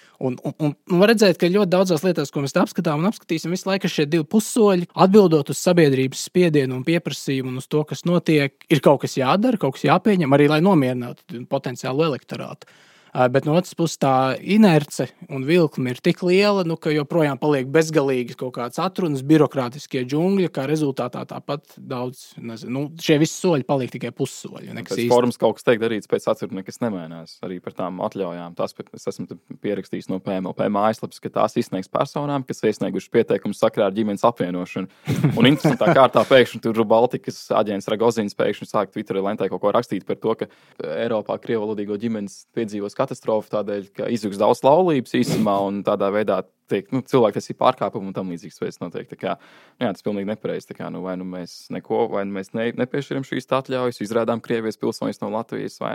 var redzēt, ka ļoti daudzās lietās, ko mēs apskatām un apskatīsim, visu laiku šie divi pussoļi, atbildot uz sabiedrības spiedienu un pieprasījumu un uz to, kas notiek, ir kaut kas jādara, kaut kas jāpieņem, arī lai nomierinātu potenciālu elektorātu. Bet no otras puses tā inerce un vilkme ir tik liela, ka joprojām paliek bezgalīgi kaut kāds atrunas, birokrātiskie džungļi, kā rezultātā tāpat daudz, šie visi soļi paliek tikai pussoļi. Pēc formas kaut kas tiek darīts, pēc atsaruna nekas nemainās. Arī par tām atļaujām. Es esmu pierakstījis no PMLP mājaslapas, ka tās izsniegs personām, kas iesnieguši pieteikumus sakarā ar ģimenes apvienošanu. Un interesantā kārtā pēkšņi tur Baltikas aģents Ragozins pēkšņi sāk Twitterī lentē kaut ko rakstīt par to, ka Eiropā krievalodīgo ģimenes piedzīvos katastrofa tādēļ, ka izjūgs daudz laulības īsumā un tādā veidā tiek cilvēktiesību pārkāpumu un tam līdzīgas veids notiek. Tas pilnīgi nepareizi. Vai mēs nepiešķiram šīs atļaujas, izrādām Krievijas pilsoņus no Latvijas, vai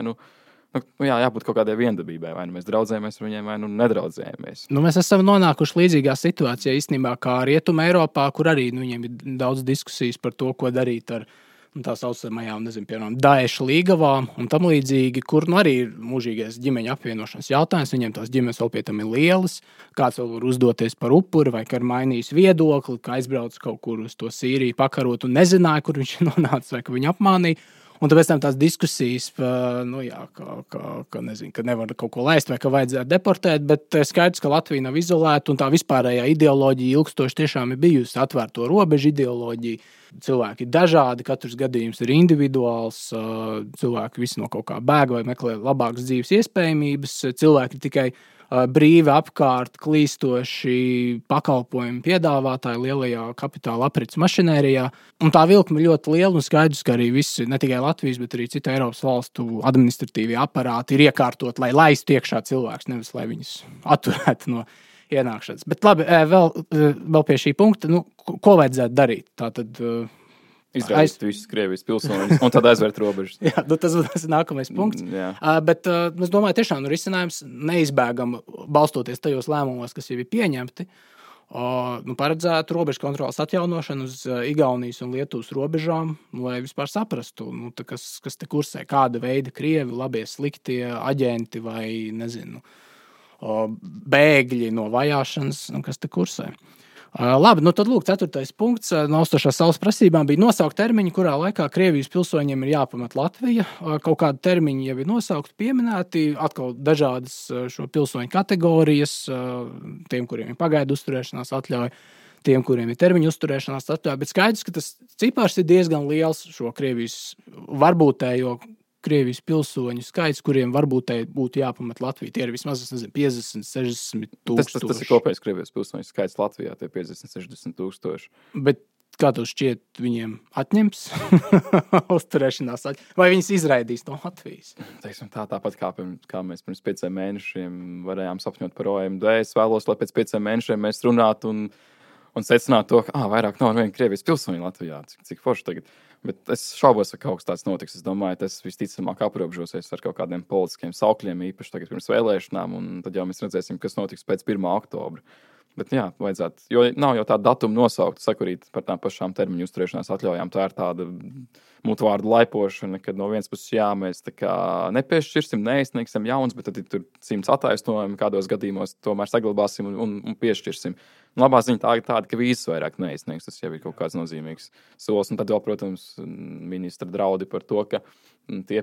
jābūt kaut kādai viendabībai. Vai mēs draudzējamies ar viņiem, vai nedraudzējamies. Mēs esam nonākuši līdzīgā situācijā īstenībā kā Rietuma Eiropā, kur arī viņiem ir daudz diskusijas par to, ko darīt ar tā saucamajām, piemēram, Daeša līgavām un tam līdzīgi, kur arī ir mūžīgais ģimeņa apvienošanas jautājums. Viņiem tās ģimenes vēl pie tam ir lielas, kāds vēl var uzdoties par upuri vai ka ir mainījis viedokli, ka aizbrauc kaut kur uz to Sīriju pakarot un nezināja, kur viņš nonāca vai ka viņu apmānīja. Un tāpēc tās diskusijas, ka nevar kaut ko laist vai ka vajadzētu deportēt, bet skaidrs, ka Latvija nav izolēta un tā vispārējā ideoloģija ilgstoši tiešām ir bijusi atvērto robežu ideoloģija. Cilvēki ir dažādi, katrs gadījums ir individuāls, cilvēki visi no kaut kā bēg vai meklē labākas dzīves iespējamības, cilvēki ir tikai brīvi apkārt klīstoši pakalpojumu piedāvātāji lielajā kapitāla aprits mašinērijā. Un tā vilkme ļoti liela un skaidrs, ka arī visi, ne tikai Latvijas, bet arī citu Eiropas valstu administratīvie aparāti ir iekārtot, lai laistu iekšā cilvēks, nevis lai viņus atturētu no ienākšanas. Bet labi, vēl pie šī punkta, ko vajadzētu darīt? Tātad izraidīt visus Krievijas pilsoņus un tad aizvērt robežas. Jā, tas ir nākamais punkts. Bet es domāju, tiešām risinājums neizbēgam balstoties tajos lēmumos, kas jau ir pieņemti, paredzētu robežu kontrolas atjaunošanu uz Igaunijas un Lietuvas robežām, lai vispār saprastu, kas te kursē, kāda veida Krievi, labie, sliktie aģenti vai, bēgļi no vajāšanas, kas te kursē. Labi, tad lūk, 4. punkts no austošās saules prasībām bija nosaukt termiņu, kurā laikā Krievijas pilsoņiem ir jāpamet Latvija. Kaut kādi termiņi jau ir nosaukti, pieminēti, atkal dažādas šo pilsoņu kategorijas, tiem, kuriem ir pagaidu uzturēšanās atļauja, tiem, kuriem ir termiņu uzturēšanās atļauja, bet skaidrs, ka tas cipars ir diezgan liels šo Krievijas varbūtējo Krievijas pilsoņu skaits, kuriem varbūt būtu jāpamet Latviju. Tie ir vismaz 50, 60 tūkstoši. Tas ir kopējais Krievijas pilsoņu skaits Latvijā, tie 50, 60 tūkstoši. Bet kā tev šķiet, viņiem atņems uzturēšanās atļauju? Vai viņas izraidīs no Latvijas? Teiksim, tāpat kā mēs pirms 5 mēnešiem varējām sapņot par OMD. Es vēlos, lai pēc 5 mēnešiem mēs runātu un secinātu to, ka vairāk nav viena Krievijas pilsoņa Latvijā. Cik forši tagad. Bet es šaubos, ka kaut kas tāds notiks. Es domāju, tas visticamāk aprobežosies ar kaut kādiem politiskiem saukļiem, īpaši tagad pirms vēlēšanām, un tad jau mēs redzēsim, kas notiks pēc 1. oktobra. Bet vajadzētu, jo nav jau tāda datuma nosaukta, sakurīt par tām pašām termiņu uzturēšanās atļaujām. Tā ir tāda mutvārdu laipošana, kad no vienas puses mēs tā kā nepiešķirsim, neizsniegsim jauns, bet tad ir tur 100 attaisnojumi, kādos gadījumos tomēr saglabāsim un piešķirsim. Labā ziņa tāda, ka vīzas vairāk neizsniegs, tas jau ir kaut kāds nozīmīgs solis. Un tad vēl, protams, ministra draudi par to, ka tie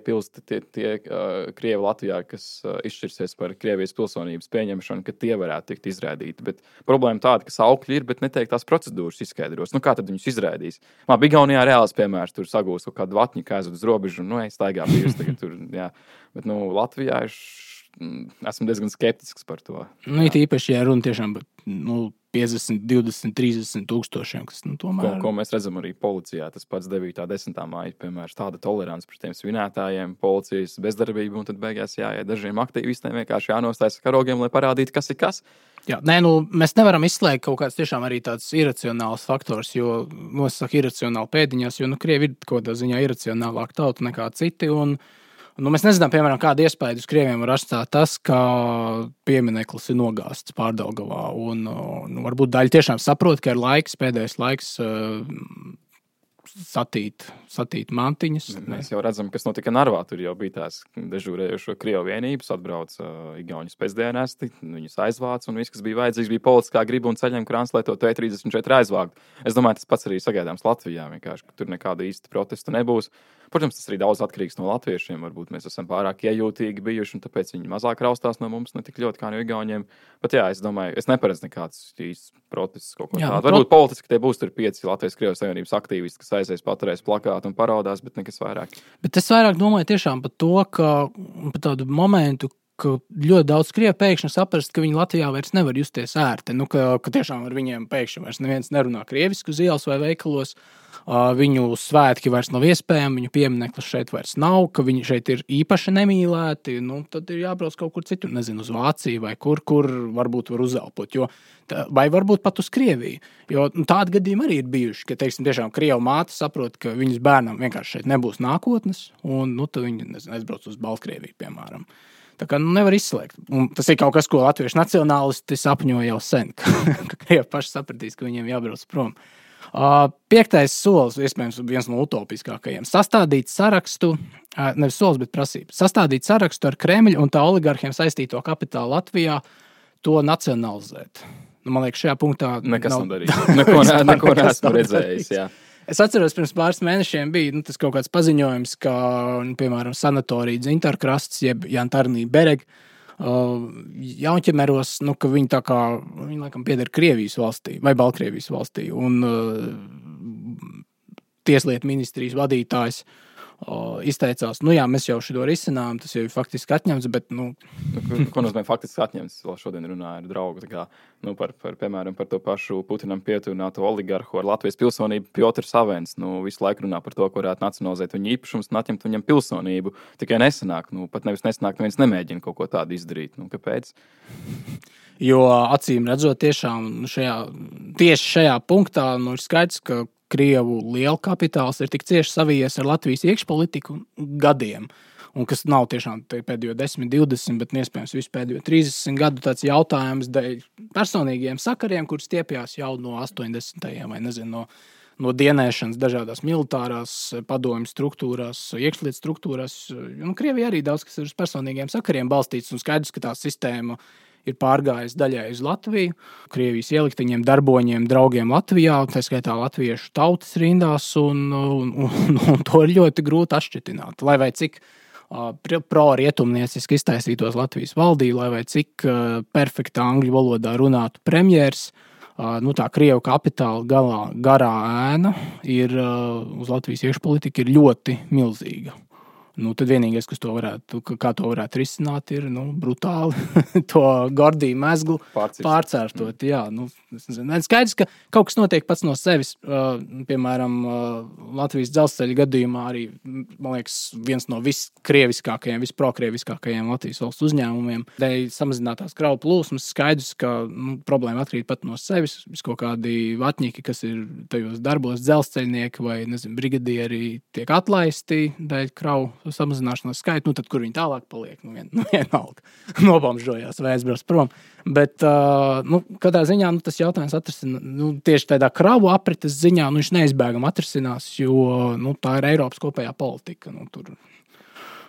Krievi Latvijā, kas izšķirsies par Krievijas pilsonības pieņemšanu, ka tie varētu tikt izraidīti. Bet problēma tāda, ka saukļi ir, bet netiek tās procedūras izskaidros. Kā tad viņus izraidīs? Igaunijā reāls piemērs, tur sagūs kaut kādu vatņu, kā aizved uz robežu, staigā pīrs tagad tur, jā. Bet, Latvijā esmu diezgan skeptisks par to. It īpaši, ja runa tiešām 50, 20, 30 tūkstošiem, kas tomēr... Ko mēs redzam arī policijā, tas pats 9. 10. māja, piemēram, tāda tolerants pret tiem svinētājiem, policijas bezdarbību, un tad beigās dažiem aktīvistiem vienkārši jānostājas karogiem, lai parādītu, kas ir kas. Jā, mēs nevaram izslēgt kaut kāds tiešām arī tāds iracionāls faktors, jo nosaka iracionāli pēdiņās, jo Krievi ir kaut kādā ziņā iracionālāk tauta nekā citi, un mēs nezinām, piemēram, kādu iespēju uz Krieviem var atstāt tas, ka piemineklis ir nogāzts Pārdaugavā. Un varbūt daļa tiešām saprot, ka ir pēdējais laiks satīt mantiņas. Mēs jau redzam, kas notika Narvā. Tur jau bija tās dežūrējušo Krievu vienības, atbrauc igauņu spēcdienesti, viņus aizvāc, un viss, kas bija vajadzīgs, bija politiskā griba un ceļiem krāns, lai to T-34 aizvākt. Es domāju, tas pats arī sagaidāms Latvijā, vienkārši, ka tur nekāda īsta protesta nebūs. Protams, tas arī daudz atkarīgs no latviešiem. Varbūt mēs esam pārāk iejūtīgi bijuši, un tāpēc viņi mazāk raustās no mums, ne tik ļoti kā no igauņiem. Bet es domāju, es neparedzu nekāds īsts protests kaut ko tādu. Varbūt politiski tie būs tur 5 Latvijas-Krievijas Savienības aktīvisti, kas aizies paturēs plakātu un parādās, bet nekas vairāk. Bet es vairāk domāju tiešām par to, ka par tādu momentu, ka ļoti daudz Krievu pēkšņi saprast, ka viņi Latvijā vairs nevar justies ērti. Ka tiešām ar viņiem pēkšņi vairs neviens nerunā krievisku uz ielas vai veikalos. Viņu svētki vairs nav iespējami, viņu piemineklis šeit vairs nav, ka viņi šeit ir īpaši nemīlēti. Tad ir jābrauc kaut kur citur, nezinu, uz Vāciju vai kur varbūt var uzelpot. Vai varbūt pat uz Krieviju. Jo tādi gadījumi arī ir bijuši, ka, tiešām Krievu māte saprot, ka viņas bērnam vienkārši šeit nebūs nākotnes, un tad viņi aizbrauc uz Baltkrieviju, piemēram. Tā kā nevar izslēgt. Un tas ir kaut kas, ko latviešu nacionālisti sapņo jau sen, ka Krievi paši sapratīs, ka viņiem jābrauc prom. 5. solis, iespējams, viens no utopiskākajiem. Sastādīt sarakstu, nevis solis, bet prasība. Sastādīt sarakstu ar Kremļu un tā oligarhiem saistīto kapitālu Latvijā, to nacionalizēt. Man liekas, šajā punktā nekas nav darīts. Neko neesmu redzējis, jā. Es atceros, pirms pāris mēnešiem bija tas kaut kāds paziņojums, ka, piemēram, sanatorija Dzintarkrasts, jeb Jantarnī Bereg, Jaunķemeros, ka viņi tā kā, viņi laikam pieder Krievijas valstī vai Baltkrievijas valstī. Un Tieslietu ministrijas vadītājs izteicās, jā, mēs jau šo risinām, tas jau ir faktiski atņemts, bet, Ko nozīmē faktiski atņemts? Vēl šodien runāju ar draugu, tā kā, piemēram, par to pašu Putinam pietuvināto oligarhu ar Latvijas pilsonību Piotrs Avens, visu laiku runā par to, ko varētu nacionalizēt viņa īpašums un atņemt viņam pilsonību. Tikai nesanāk, pat nevis nesanāk, neviens nemēģina kaut ko tādu izdarīt. Kāpēc? Jo acīm redzot tiešām tieši šajā punktā, ir skaidrs, ka Krievu liela kapitāls ir tik cieši savijies ar Latvijas iekšpolitiku gadiem, un kas nav tiešām pēdējo 10, 20, bet iespējams visu pēdējo 30 gadu tāds jautājums dēļ personīgiem sakariem, kurus stiepjās jau no 80. vai nezinu, no dienēšanas dažādās militārās padomju struktūrās, iekšlietu struktūrās. Krievija arī daudz, kas ir uz personīgiem sakariem balstīts, un skaidrs, ka tā sistēma ir pārgājis daļai uz Latviju, Krievijas ielikteņiem, darboņiem, draugiem Latvijā, tā skaitā latviešu tautas rindās, un to ir ļoti grūti atšķitināt. Lai vai cik pro-rietumnieciski iztaisītos Latvijas valdība, lai vai cik perfekta angļu valodā runātu premjers, tā Krievu kapitāla garā ēna ir uz Latvijas iekšpolitika ir ļoti milzīga. Tad vienīgais, kā to varētu risināt, ir brutāli to Gordiju mezglu pārcērtot. Jā, skaidrs, ka kaut kas notiek pats no sevis. Piemēram, Latvijas dzelzceļa gadījumā arī, man liekas, viens no viskrieviskākajiem, visprokrieviskākajiem Latvijas valsts uzņēmumiem. Dēļ samazinātās kravu plūsmas skaidrs, ka problēma atkrīt pat no sevis. Kaut kādi vatņiki, kas ir tajos darbos, dzelzceļnieki vai, brigadieri tiek atlaisti dēļ kravu samazināšanās skaitu, tad kur viņi tālāk paliek, vienalga nobomžojās vai aizbrauc prom. Bet, kādā ziņā tas jautājums atrisinās, tieši tādā kravu aprites ziņā, viņš neizbēgam atrisinās, jo, tā ir Eiropas kopējā politika, tur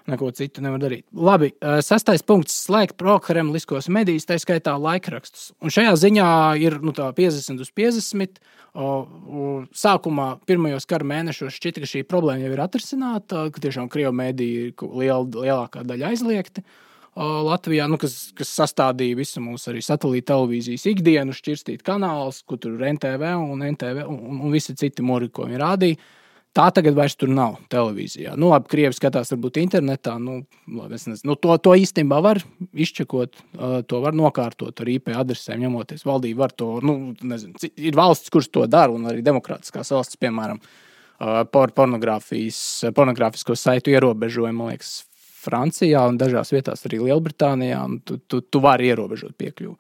neko citu nevar darīt. Labi, 6. punkts - slēgt prokremliskos medijus, tā skaitā laikrakstus. Un šajā ziņā ir, 50/50. Sākumā pirmajos kara mēnešos šķita, ka šī problēma jau ir atrisināta, ka tiešām Krievu mediji ir lielākā daļa aizliegti Latvijā, kas sastādīja visu mūsu arī satelīta televīzijas ikdienu, šķirstīt kanālus, kur tur NTV un visi citi muri, ko viņi rādīja. Tā tagad vairs tur nav televīzijā. Labi, Krievi skatās varbūt internetā, es nezinu, to īstenībā var izčekot, to var nokārtot ar IP adresēm, ņemoties. Valdība var to, nezinu, ir valsts, kuras to dara, un arī demokrātiskās valsts, piemēram, pornogrāfisko saitu ierobežojumu, man liekas, Francijā un dažās vietās arī Lielbritānijā, un tu vari ierobežot piekļuvu.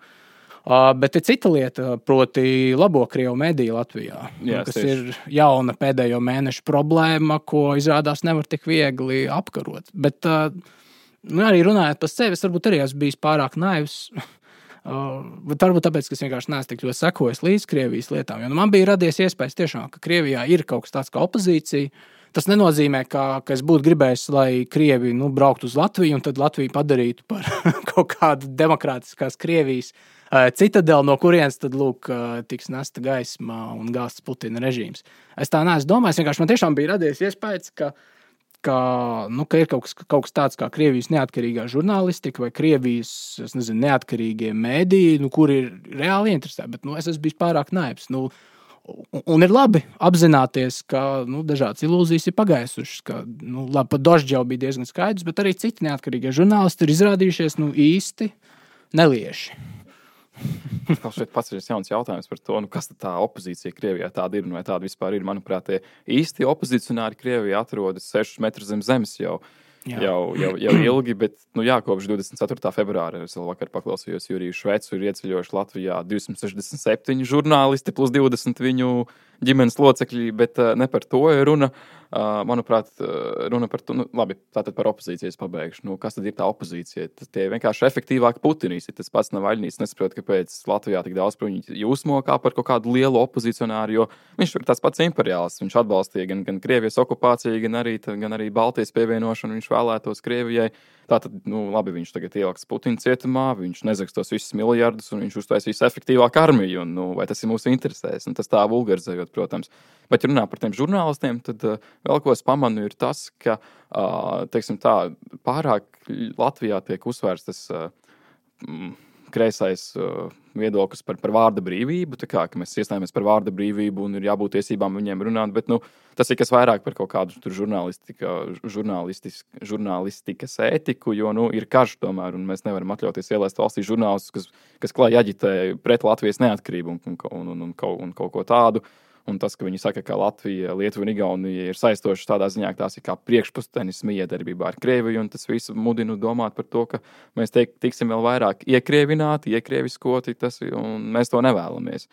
Bet ir cita lieta, proti labo Krievu mediju Latvijā, kas ir jauna pēdējo mēnešu problēma, ko izrādās nevar tik viegli apkarot. Bet arī runājot par sevi, es varbūt arī esmu bijis pārāk naivs. Bet varbūt tāpēc, ka es vienkārši neesmu tik ļoti sekojis līdz Krievijas lietām. Jo man bija radies iespējas tiešām, ka Krievijā ir kaut kas tāds kā opozīcija. Tas nenozīmē, ka es būtu gribējis, lai Krievi brauktu uz Latviju un tad Latviju padarītu par kaut kādu demokrātiskās Krievijas citadeli, no kurienes tad, tiks nesta gaisma un gāsts Putina režīms. Es tā neesmu domājis, vienkārši man tiešām bija radies iespējas, ka ir kaut kas tāds kā Krievijas neatkarīgā žurnālistika vai Krievijas, neatkarīgie mēdīji, kuri ir reāli interesēti, bet es esmu bijis pārāk naivs. Un ir labi apzināties, ka dažādas ilūzijas ir pagaisušas. Labi, pat Dožģi jau bija diezgan skaidrs, bet arī citi neatkarīgie žurnālisti ir izrādījušies īsti nelieši. Kā šeit pats ir jauns jautājums par to, kas tā opozīcija Krievijā tāda ir un vai tāda vispār ir. Manuprāt, tie īsti opozicionāri Krievijā atrodas 6 metrus zem zemes jau ilgi, bet kopš 24. februāra es vēl vakar paklausījos Juriju Švecu, ir ieceļojuši Latvijā 267 žurnālisti plus 20 viņu ģimenes locekļi, bet ne par to ir runa. Manuprāt, runa par to, labi, tātad par opozīcijas pabeigšu. Kas tad ir tā opozīcija? Tie vienkārši efektīvāki Putinīsi. Tas pats Navaļnīs nesaprot, kāpēc Latvijā tik daudz par viņu jūsmo kā par kaut kādu lielu opozicionāru, jo viņš ir tāds pats imperiāls. Viņš atbalstīja gan Krievijas okupāciju, gan arī Baltijas pievienošanu. Viņš paši vēlētos Krievijai. Tātad, labi, viņš tagad ieliks Putina cietumā, viņš nezags tos visus miljardus un viņš uztaisīs efektīvāku armiju. Un, vai tas ir mūsu interesēs? Un tas tā vulgarizējot, protams. Bet runā par tiem žurnālistiem, tad vēl ko es pamanu ir tas, ka, teiksim tā, pārāk Latvijā tiek uzsvērts tas kreisais viedoklis par vārda brīvību, tā kā mēs iestājāmies par vārda brīvību un ir jābūt tiesībām viņiem runāt, bet tas ir kas vairāk par kaut kādu tur žurnālistikas ētiku, jo ir karš tomēr, un mēs nevaram atļauties ielaist valstī žurnālistus, kas klāj aģitē pret Latvijas neatkarību un kaut ko tādu. Un tas, ka viņi saka, ka Latvija, Lietuva un Igaunija ir saistošas tādā ziņā, ka tās ir kā priekšpustenis miedarbībā ar Krieviju, un tas visu mudina domāt par to, ka mēs tiksim vēl vairāk iekrievināti, iekrieviskoti, un mēs to nevēlamies.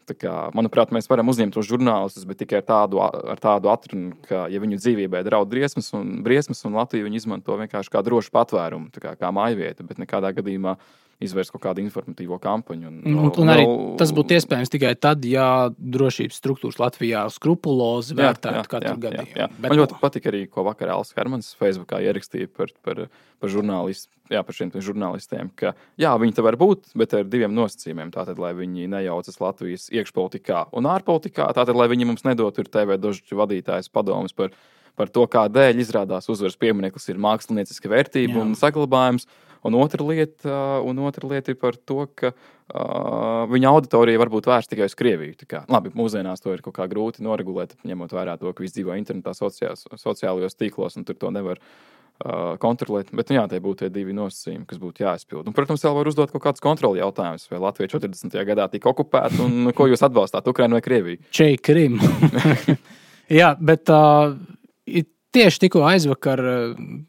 Tā kā, manuprāt, mēs varam uzņemt tos žurnālistus, bet tikai ar tādu atrunu, ka, ja viņu dzīvībai draud briesmas un Latviju viņi izmanto vienkārši kā drošu patvērumu, kā mājvieta, bet nekādā gadījumā izvērst kaut kādu informatīvo kampaņu. Un arī tas būtu iespējams tikai tad, ja drošības struktūras Latvijā skrupulozi vērtētu katru gadījumu. Jā. Man ļoti patika arī, ko vakar Alis Hermans Facebookā ierakstīja par šiem žurnālistiem, ka viņi te var būt, bet ar 2 nosacījumiem. Tātad, lai viņi nejaucas Latvijas iekšpolitikā un ārpolitikā, tātad, lai viņi mums nedot TV dožu vadītājs padomus par to, kādēļ izrādās uzvaras piemineklis ir mākslinieciska vērtība un saglabājums. Un otra lieta ir par to, ka viņa auditorija var būt vērsta tikai uz Krieviju. Labi, mūsdienās to ir kaut kā grūti noregulēt, ņemot vērā to, ka viss dzīvo internetā, sociālajos tīklos, un tur to nevar kontrolēt. Bet, tie būtu tie 2 nosacījumi, kas būtu jāizpild. Un, protams, vēl var uzdot kaut kādus kontroli jautājumus, vai Latvija 40. gadā tika okupēta, un ko jūs atbalstāt, Ukrainu vai Krieviju? Krim. Jā, bet tieši tikko aizvakar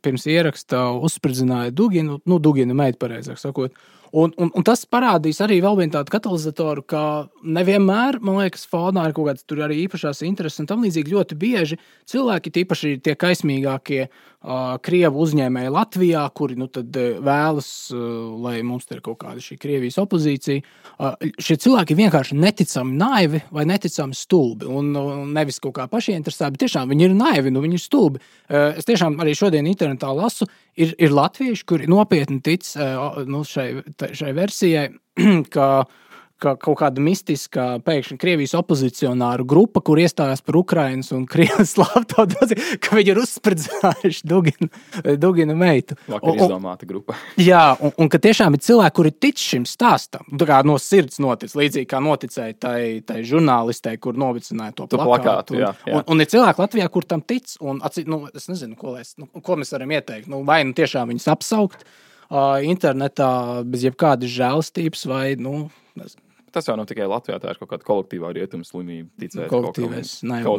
pirms ieraksta uzspridzināja Dugina meitu, pareizāk sakot. Un tas parādīs arī vēl vienu tādu katalizatoru, ka nevienmēr, man liekas, fonā ir kaut kāds tur arī īpašās intereses, un tam līdzīgi ļoti bieži cilvēki, tīpaši tie kaismīgākie Krievu uzņēmēji Latvijā, kuri tad vēlas, lai mums te ir kaut kāda šī Krievijas opozīcija, šie cilvēki vienkārši neticami naivi vai neticami stulbi, un nevis kaut kā pašieinteresēti, bet tiešām viņi ir naivi, viņi ir stulbi. Es tiešām arī šodien internetā lasu, ir latvieši, kuri nopietni tic šai versijai, ka kaut kāda mistiska pēkšņi Krievijas opozicionāru grupa, kur iestājās par Ukrainas un Krievijas slāptautu, ka viņi ir uzspridzinājuši Dugina meitu. Vakar izdomāta grupa. Jā, un ka tiešām ir cilvēki, kuri tic šim stāstam. Tā kā no sirds notic, līdzīgi kā noticēja tai žurnālistei, kur novicināja to plakātu. Un ir cilvēki Latvijā, kur tam tic, un es nezinu, ko mēs varam ieteikt. Vai tiešām viņus apsaukt internetā bez jebkādas žēlastības, vai, nezinu. Tas jau nav tikai Latvijā, tā ir kaut kāda kolektīvā rietumu slimība, ticēt kaut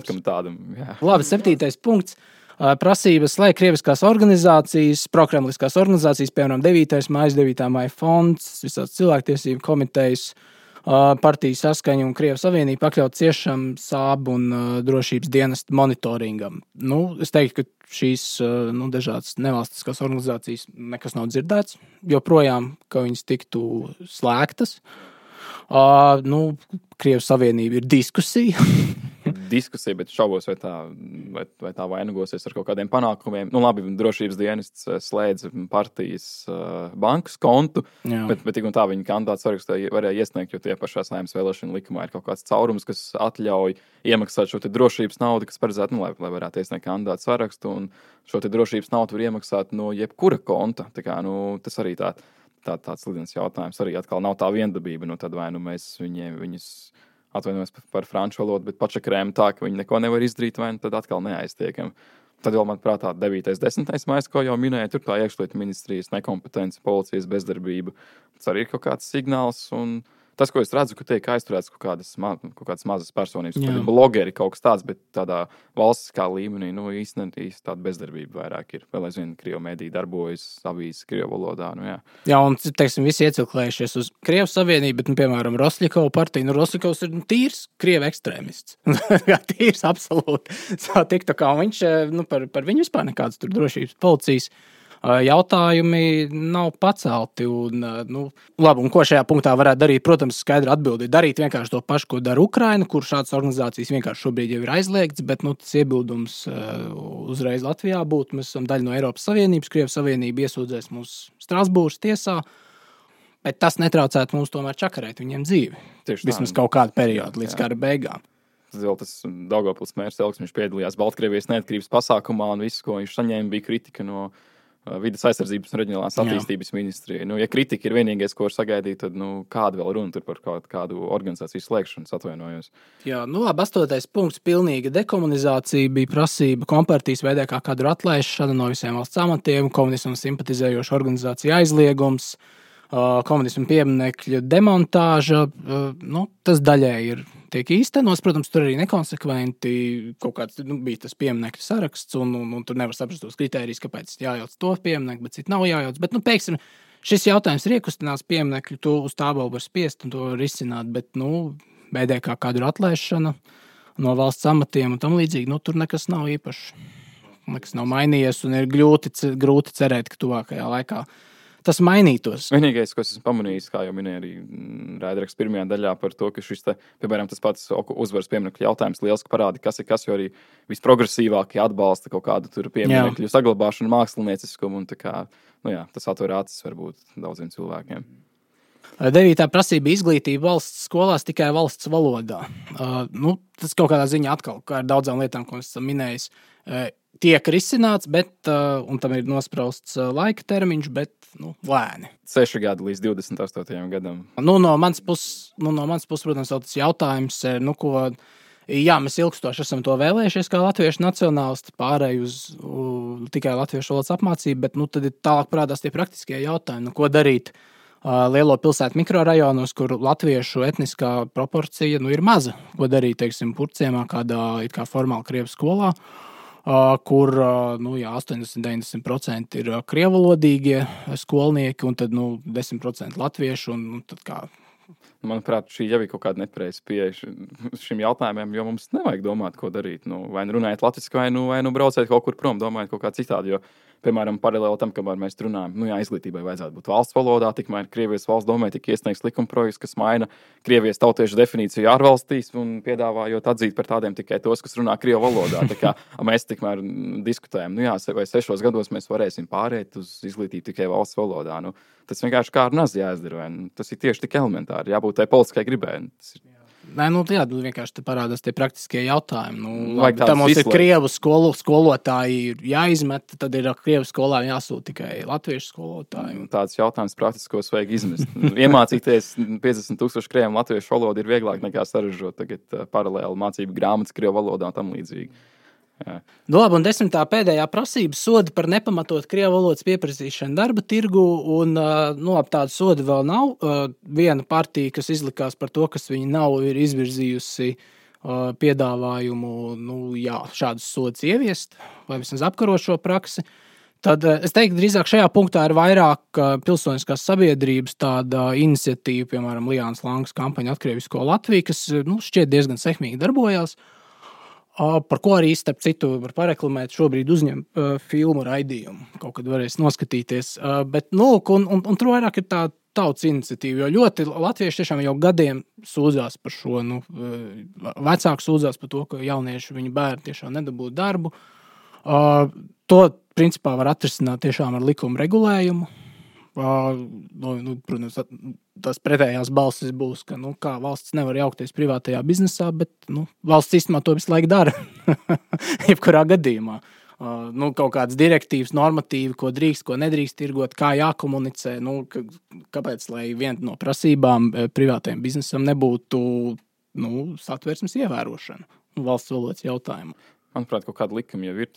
kam tādam. Jā. Labi, 7. punkts. Prasības, lai krieviskās organizācijas, prokremliskās organizācijas, piemēram, 9. māja fonds, visās cilvēktiesību komitejas, partijas saskaņa un Krievijas Savienība pakļaut ciešam sābu un drošības dienestu monitoringam. Es teiktu, ka šīs dažādas nevalstiskās organizācijas nekas nav dzirdēts, joprojām, ka viņas tiktu slēgtas. Krievijas Savienība ir diskusija. Diskusija, bet šaubos, vai tā vainagosies ar kaut kādiem panākumiem. Labi, drošības dienests slēdz partijas bankas kontu, bet tik un tā viņa kandidātu sarakstā varēja iesniegt, jo tie pašā Saeimas vēlēšana likumā ir kaut kāds caurums, kas atļauj iemaksāt šo te drošības naudu, kas paredzētu, lai varētu iesniegt kandidātu sarakstu, un šo te drošības naudu var iemaksāt no jebkura konta. Tā kā, tas arī tāds slidens jautājums. Arī atkal nav tā viendabība, tad vai mēs viņus atvainojamies par franču valodu, bet pačakrējam tā, ka viņi neko nevar izdarīt, vai tad atkal neaiztiekam. Tad vēl, manuprāt, 9. 10. mājas, ko jau minēja, tur tā iekšlietu ministrijas nekompetence, policijas bezdarbība. Tas arī ir kaut kāds signāls, un tas, ko es redzu, ka tiek aizturēts kaut kādas mazas personības, blogeri kaut kas tāds, bet tādā valstiskā līmenī, īstenībā tāda bezdarbība vairāk ir. Vēl aizvien Krievu mediji darbojas avīzes Krievu valodā. Jā, un, teiksim, visi iecilklējušies uz Krievijas Savienību, bet, piemēram, Rosļikova partija. Rosļikovs ir tīrs Krievu ekstrēmists. Tīrs absolūti. Viņš, par viņu vispār nekādas tur drošības policijas jautājumi nav pacelti. Un ko šajā punktā varētu darīt? Protams, skaidri atbildi. Darīt vienkārši to pašu, ko dara Ukraina, kur šādas organizācijas vienkārši šobrīd jau ir aizliegts, bet tas iebildums uzreiz Latvijā būtu. Mēs esam daļa no Eiropas Savienības, Krievijas Savienība iesūdzēs mūs Strasbūras tiesā, bet tas netraucētu mums tomēr čakarēt viņiem dzīvi. Vismaz kaut kādu periodu līdz kara beigām. Tas Daugavpils mērs Elks, viņš piedalījās Baltkrievijas neatkarības pasākumā un viss, ko viņš saņēma, bija kritika no Vides aizsardzības un reģionālās attīstības ministrija. Ja kritika ir vienīgais, ko var sagaidīt, tad kāda vēl runa tur par kādu organizāciju slēgšanu, atvainojos. Jā, labi, 8. punkts - pilnīga dekomunizācija bija prasība kompartijas veidē kā kadru atlaišana no visiem valsts amatiem, komunismu simpatizējošu organizāciju aizliegums, komunismu pieminekļu demontāža. Tas daļēji tiek īstenots. Protams, tur arī nekonsekventi kaut kāds bija tas pieminekļu saraksts, un tur nevar saprast tos kritērijus, kāpēc jājauc to pieminekli, bet citu nav jājauc. Bet, pēksim, šis jautājums ir iekustinās pieminekļu, to uz tābalu var spiest un to var risināt, bet, veidē kā kadru atlaišana no valsts amatiem un tam līdzīgi, tur nekas nav īpaši. Nekas nav mainījies un ir grūti cerēt, ka tuvākajā laikā tas mainītos. Vienīgais, ko esmu pamanījis, kā jau minēja arī raidieraksta pirmajā daļā par to, ka šis, piemēram, tas pats uzvaras pieminekļu jautājums lieliski parāda, kas ir kas, jo arī visprogresīvākie atbalsta kaut kādu tur pieminekļu saglabāšanu, mākslinieciskumu, un tas atver acis varbūt daudziem cilvēkiem. 9. prasība izglītība valsts skolās tikai valsts valodā. Tas kaut kādā ziņā atkal, kā ar daudzām lietām, ko esam minējis, tiek risināts, un tam ir nosprausts laika termiņš, bet lēni. 6 gadi līdz 28. gadam. No manas puses, protams, vēl tas jautājums, mēs ilgstoši esam to vēlējušies kā latviešu nacionālisti, pārēj uz tikai latviešu valodas apmācību, bet tad ir tālāk parādās tie praktiskie jautājumi, ko darīt lielo pilsētu mikrorajonos, kur latviešu etniskā proporcija ir maza. Ko darīt, teiksim, Purciemā, kādā it kā formāli krievu skolā, kur 80-90% ir krievalodīgie skolnieki un tad 10% latviešu. Un tad kā. Manuprāt, šī jau ir kaut kāda nepareiza pieeja šim jautājumiem, jo mums nevajag domāt, ko darīt. Vai runājot latviski, vai brauciet kaut kur prom, domājot kaut kā citādi. Jo, piemēram, paralēli tam, kamēr mēs runājam, izglītībai vajadzētu būt valsts valodā, tikmēr Krievijas valsts domē tika iesniegts likumprojekts, kas maina Krievijas tautiešu definīciju ārvalstīs un piedāvājot atzīt par tādiem tikai tos, kas runā krievu valodā. Tā kā mēs tikmēr diskutējam, vai 6 gados mēs varēsim pārēt uz izglītību tikai valsts valodā. Tas vienkārši kā ar nazi jāizdara. Tas ir tieši tik elementāri. Jābūt tai politiskai gribai. Vienkārši parādās tie praktiskie jautājumi. Tā mums ir krievu skolotāji jāizmet, tad ir krievu skolā jāsūt tikai latviešu skolotāji. Tāds jautājums praktiskos vajag izmest. Iemācīties 50,000 krievu latviešu valodu ir vieglāk nekā sarežģot tagad paralēli mācību grāmatas krievu valodā un tam līdzīgi. Un 10. pēdējā prasība sodi par nepamatot krievu valodas pieprasīšanu darba tirgu, un tādu sodu vēl nav. Viena partija, kas izlikās par to, kas viņi nav, ir izvirzījusi piedāvājumu šādus sodus ieviest vai vismaz apkarot šo praksi. Tad es teiktu, drīzāk šajā punktā ir vairāk pilsoniskās sabiedrības tāda iniciatīva, piemēram, Lijānas Langas kampaņa Atkrievisko Latviju, kas šķiet diezgan sekmīgi darbojās. Par ko arī, starp citu, var pareklamēt, šobrīd uzņem filmu raidījumu. Kaut kad varēs noskatīties. Bet, un tur vairāk ir tā tautas iniciatīva, jo ļoti latvieši tiešām jau gadiem sūdzās par šo. Vecāki sūdzās par to, ka jaunieši viņu bērni tiešām nedabūtu darbu. To, principā, var atrisināt tiešām ar likuma regulējumu. Protams, tās pretējās balsis būs, ka kā valsts nevar jaukties privātajā biznesā, bet valsts īstenībā to visu laiku dara. Jebkurā gadījumā. Kaut kādas direktīvas, normatīvi, ko drīkst, ko nedrīkst tirgot, kā jākomunicē. Kāpēc, lai viena no prasībām privātajam biznesam nebūtu satversmes ievērošana valsts valodas jautājumu? Manuprāt, kaut kāda likuma jau ir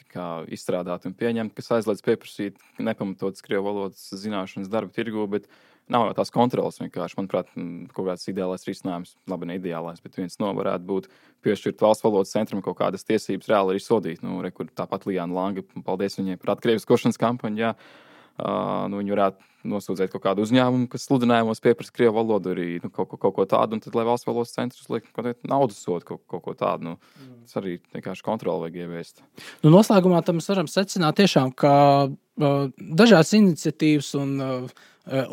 izstrādāta un pieņemta, kas aizliedz pieprasīt nepamatotas krievu valodas zināšanas darba tirgu, bet nav jau tās kontrolas vienkārši. Manuprāt, kaut kāds ideālais risinājums, labi, ne ideālais, bet viens varētu būt piešķirt valsts valodas centram kaut kādas tiesības reāli arī sodīt. Tāpat Lijāna Langa, paldies viņai par atkrieviskošanas kampaņu, jā. Viņi varētu nosūdzēt kaut kādu uzņēmumu, kas sludinājumos pieprasa krievu valodu, arī kaut ko tādu, un tad, lai valsts valodas centrs liek naudas sodu kaut ko tādu. Tas arī vienkārši kontroli vajag ieviest. Noslēgumā tam mēs varam secināt tiešām, ka dažādas iniciatīvas un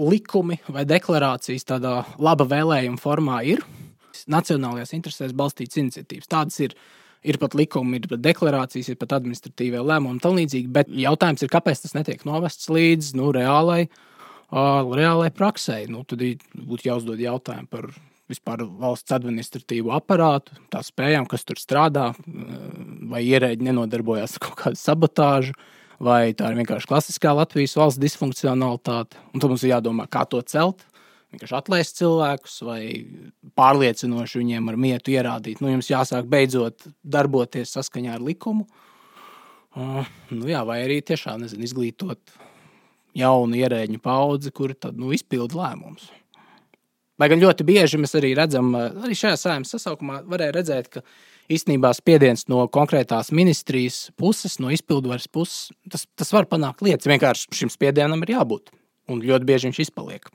likumi vai deklarācijas tādā laba vēlējuma formā ir nacionālajās interesēs balstītas iniciatīvas. Tādas ir pat likumi, ir pat deklarācijas, ir pat administratīvie lēmumi un tam līdzīgi, bet jautājums ir, kāpēc tas netiek novests līdz reālai praksē. Tad būtu jāuzdod jautājumu par vispār valsts administratīvu aparātu, tā spējām, kas tur strādā, vai ierēģi nenodarbojās ar kaut kādu sabotāžu, vai tā ir vienkārši klasiskā Latvijas valsts disfunkcionalitāte. Un tad mums ir jādomā, kā to celt. Vienkārši atlaist cilvēkus vai pārliecinoši viņiem ar mietu ierādīt. Jums jāsāk beidzot darboties saskaņā ar likumu. Vai arī tiešām izglītot jaunu ierēģu paudzi, kuri tad izpilda lēmumus. Lai gan ļoti bieži mēs arī redzam, arī šajā Saeimas sasaukumā varēja redzēt, ka īstenībā spiediens no konkrētās ministrijas puses, no izpildvaras puses, tas var panākt lietas. Vienkārši šim spiedienam ir jābūt. Un ļoti bieži viņš izpaliek.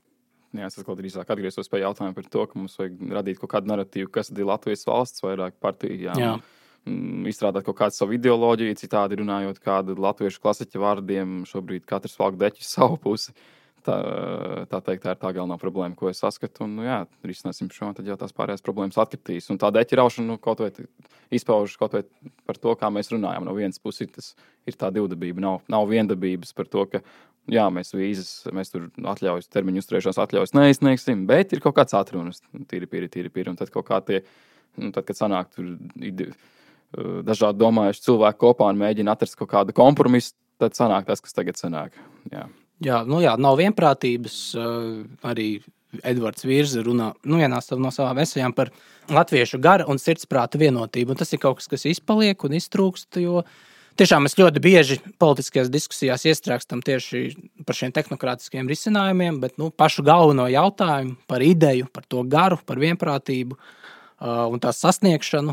Jā, es kaut drīzāk atgriezos pie jautājuma par to, ka mums vajag radīt kaut kādu narratīvu, kas ir Latvijas valsts vairāk partiju. Jā. Izstrādāt kaut kādu savu ideoloģiju, citādi runājot kādu latviešu klasiķu vārdiem, šobrīd katrs valk deķi savu pusi. Tā teikt, tā ir tā galvenā problēma, ko es saskatu. Un, risināsim šo, tad jau tās pārējās problēmas atkritīs. Un tā deķi raušana kaut vai izpaužas kaut vai par to, kā mēs runājam. No vienas puses tas ir tā divdabība. Nav viendabības par to, ka mēs vīzes, mēs tur atļaujas, termiņu uzturēšanās atļaujas neizsniegsim, bet ir kaut kāds atrunas, tīri pīri. Un tad kaut kā tad, kad sanāk tur dažādi domājuši cilvēki kopā un mēģina atrast kaut kādu kompromisu, tad sanāk tas, kas tagad sanāk. Jā, nav vienprātības. Arī Edvards Virza runā vienā no savām esejām par latviešu gara un sirdsprāta vienotību. Un tas ir kaut kas, kas izpaliek un iztrūkst, jo tiešām mēs ļoti bieži politiskajās diskusijās iestrēgstam tieši par šiem tehnokratiskiem risinājumiem, bet pašu galveno jautājumu par ideju, par to garu, par vienprātību un tās sasniegšanu,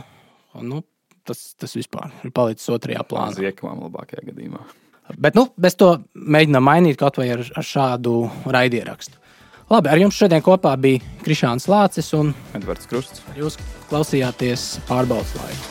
tas vispār ir palicis otrajā plānā. Ziekavām labākajā gadījumā. Bet mēs to mēģinām mainīt kaut vai ar šādu raidierakstu. Labi, ar jums šodien kopā bija Krišāns Lācis un Edvards Krusts. Jūs klausījāties Pārbaudes laiku.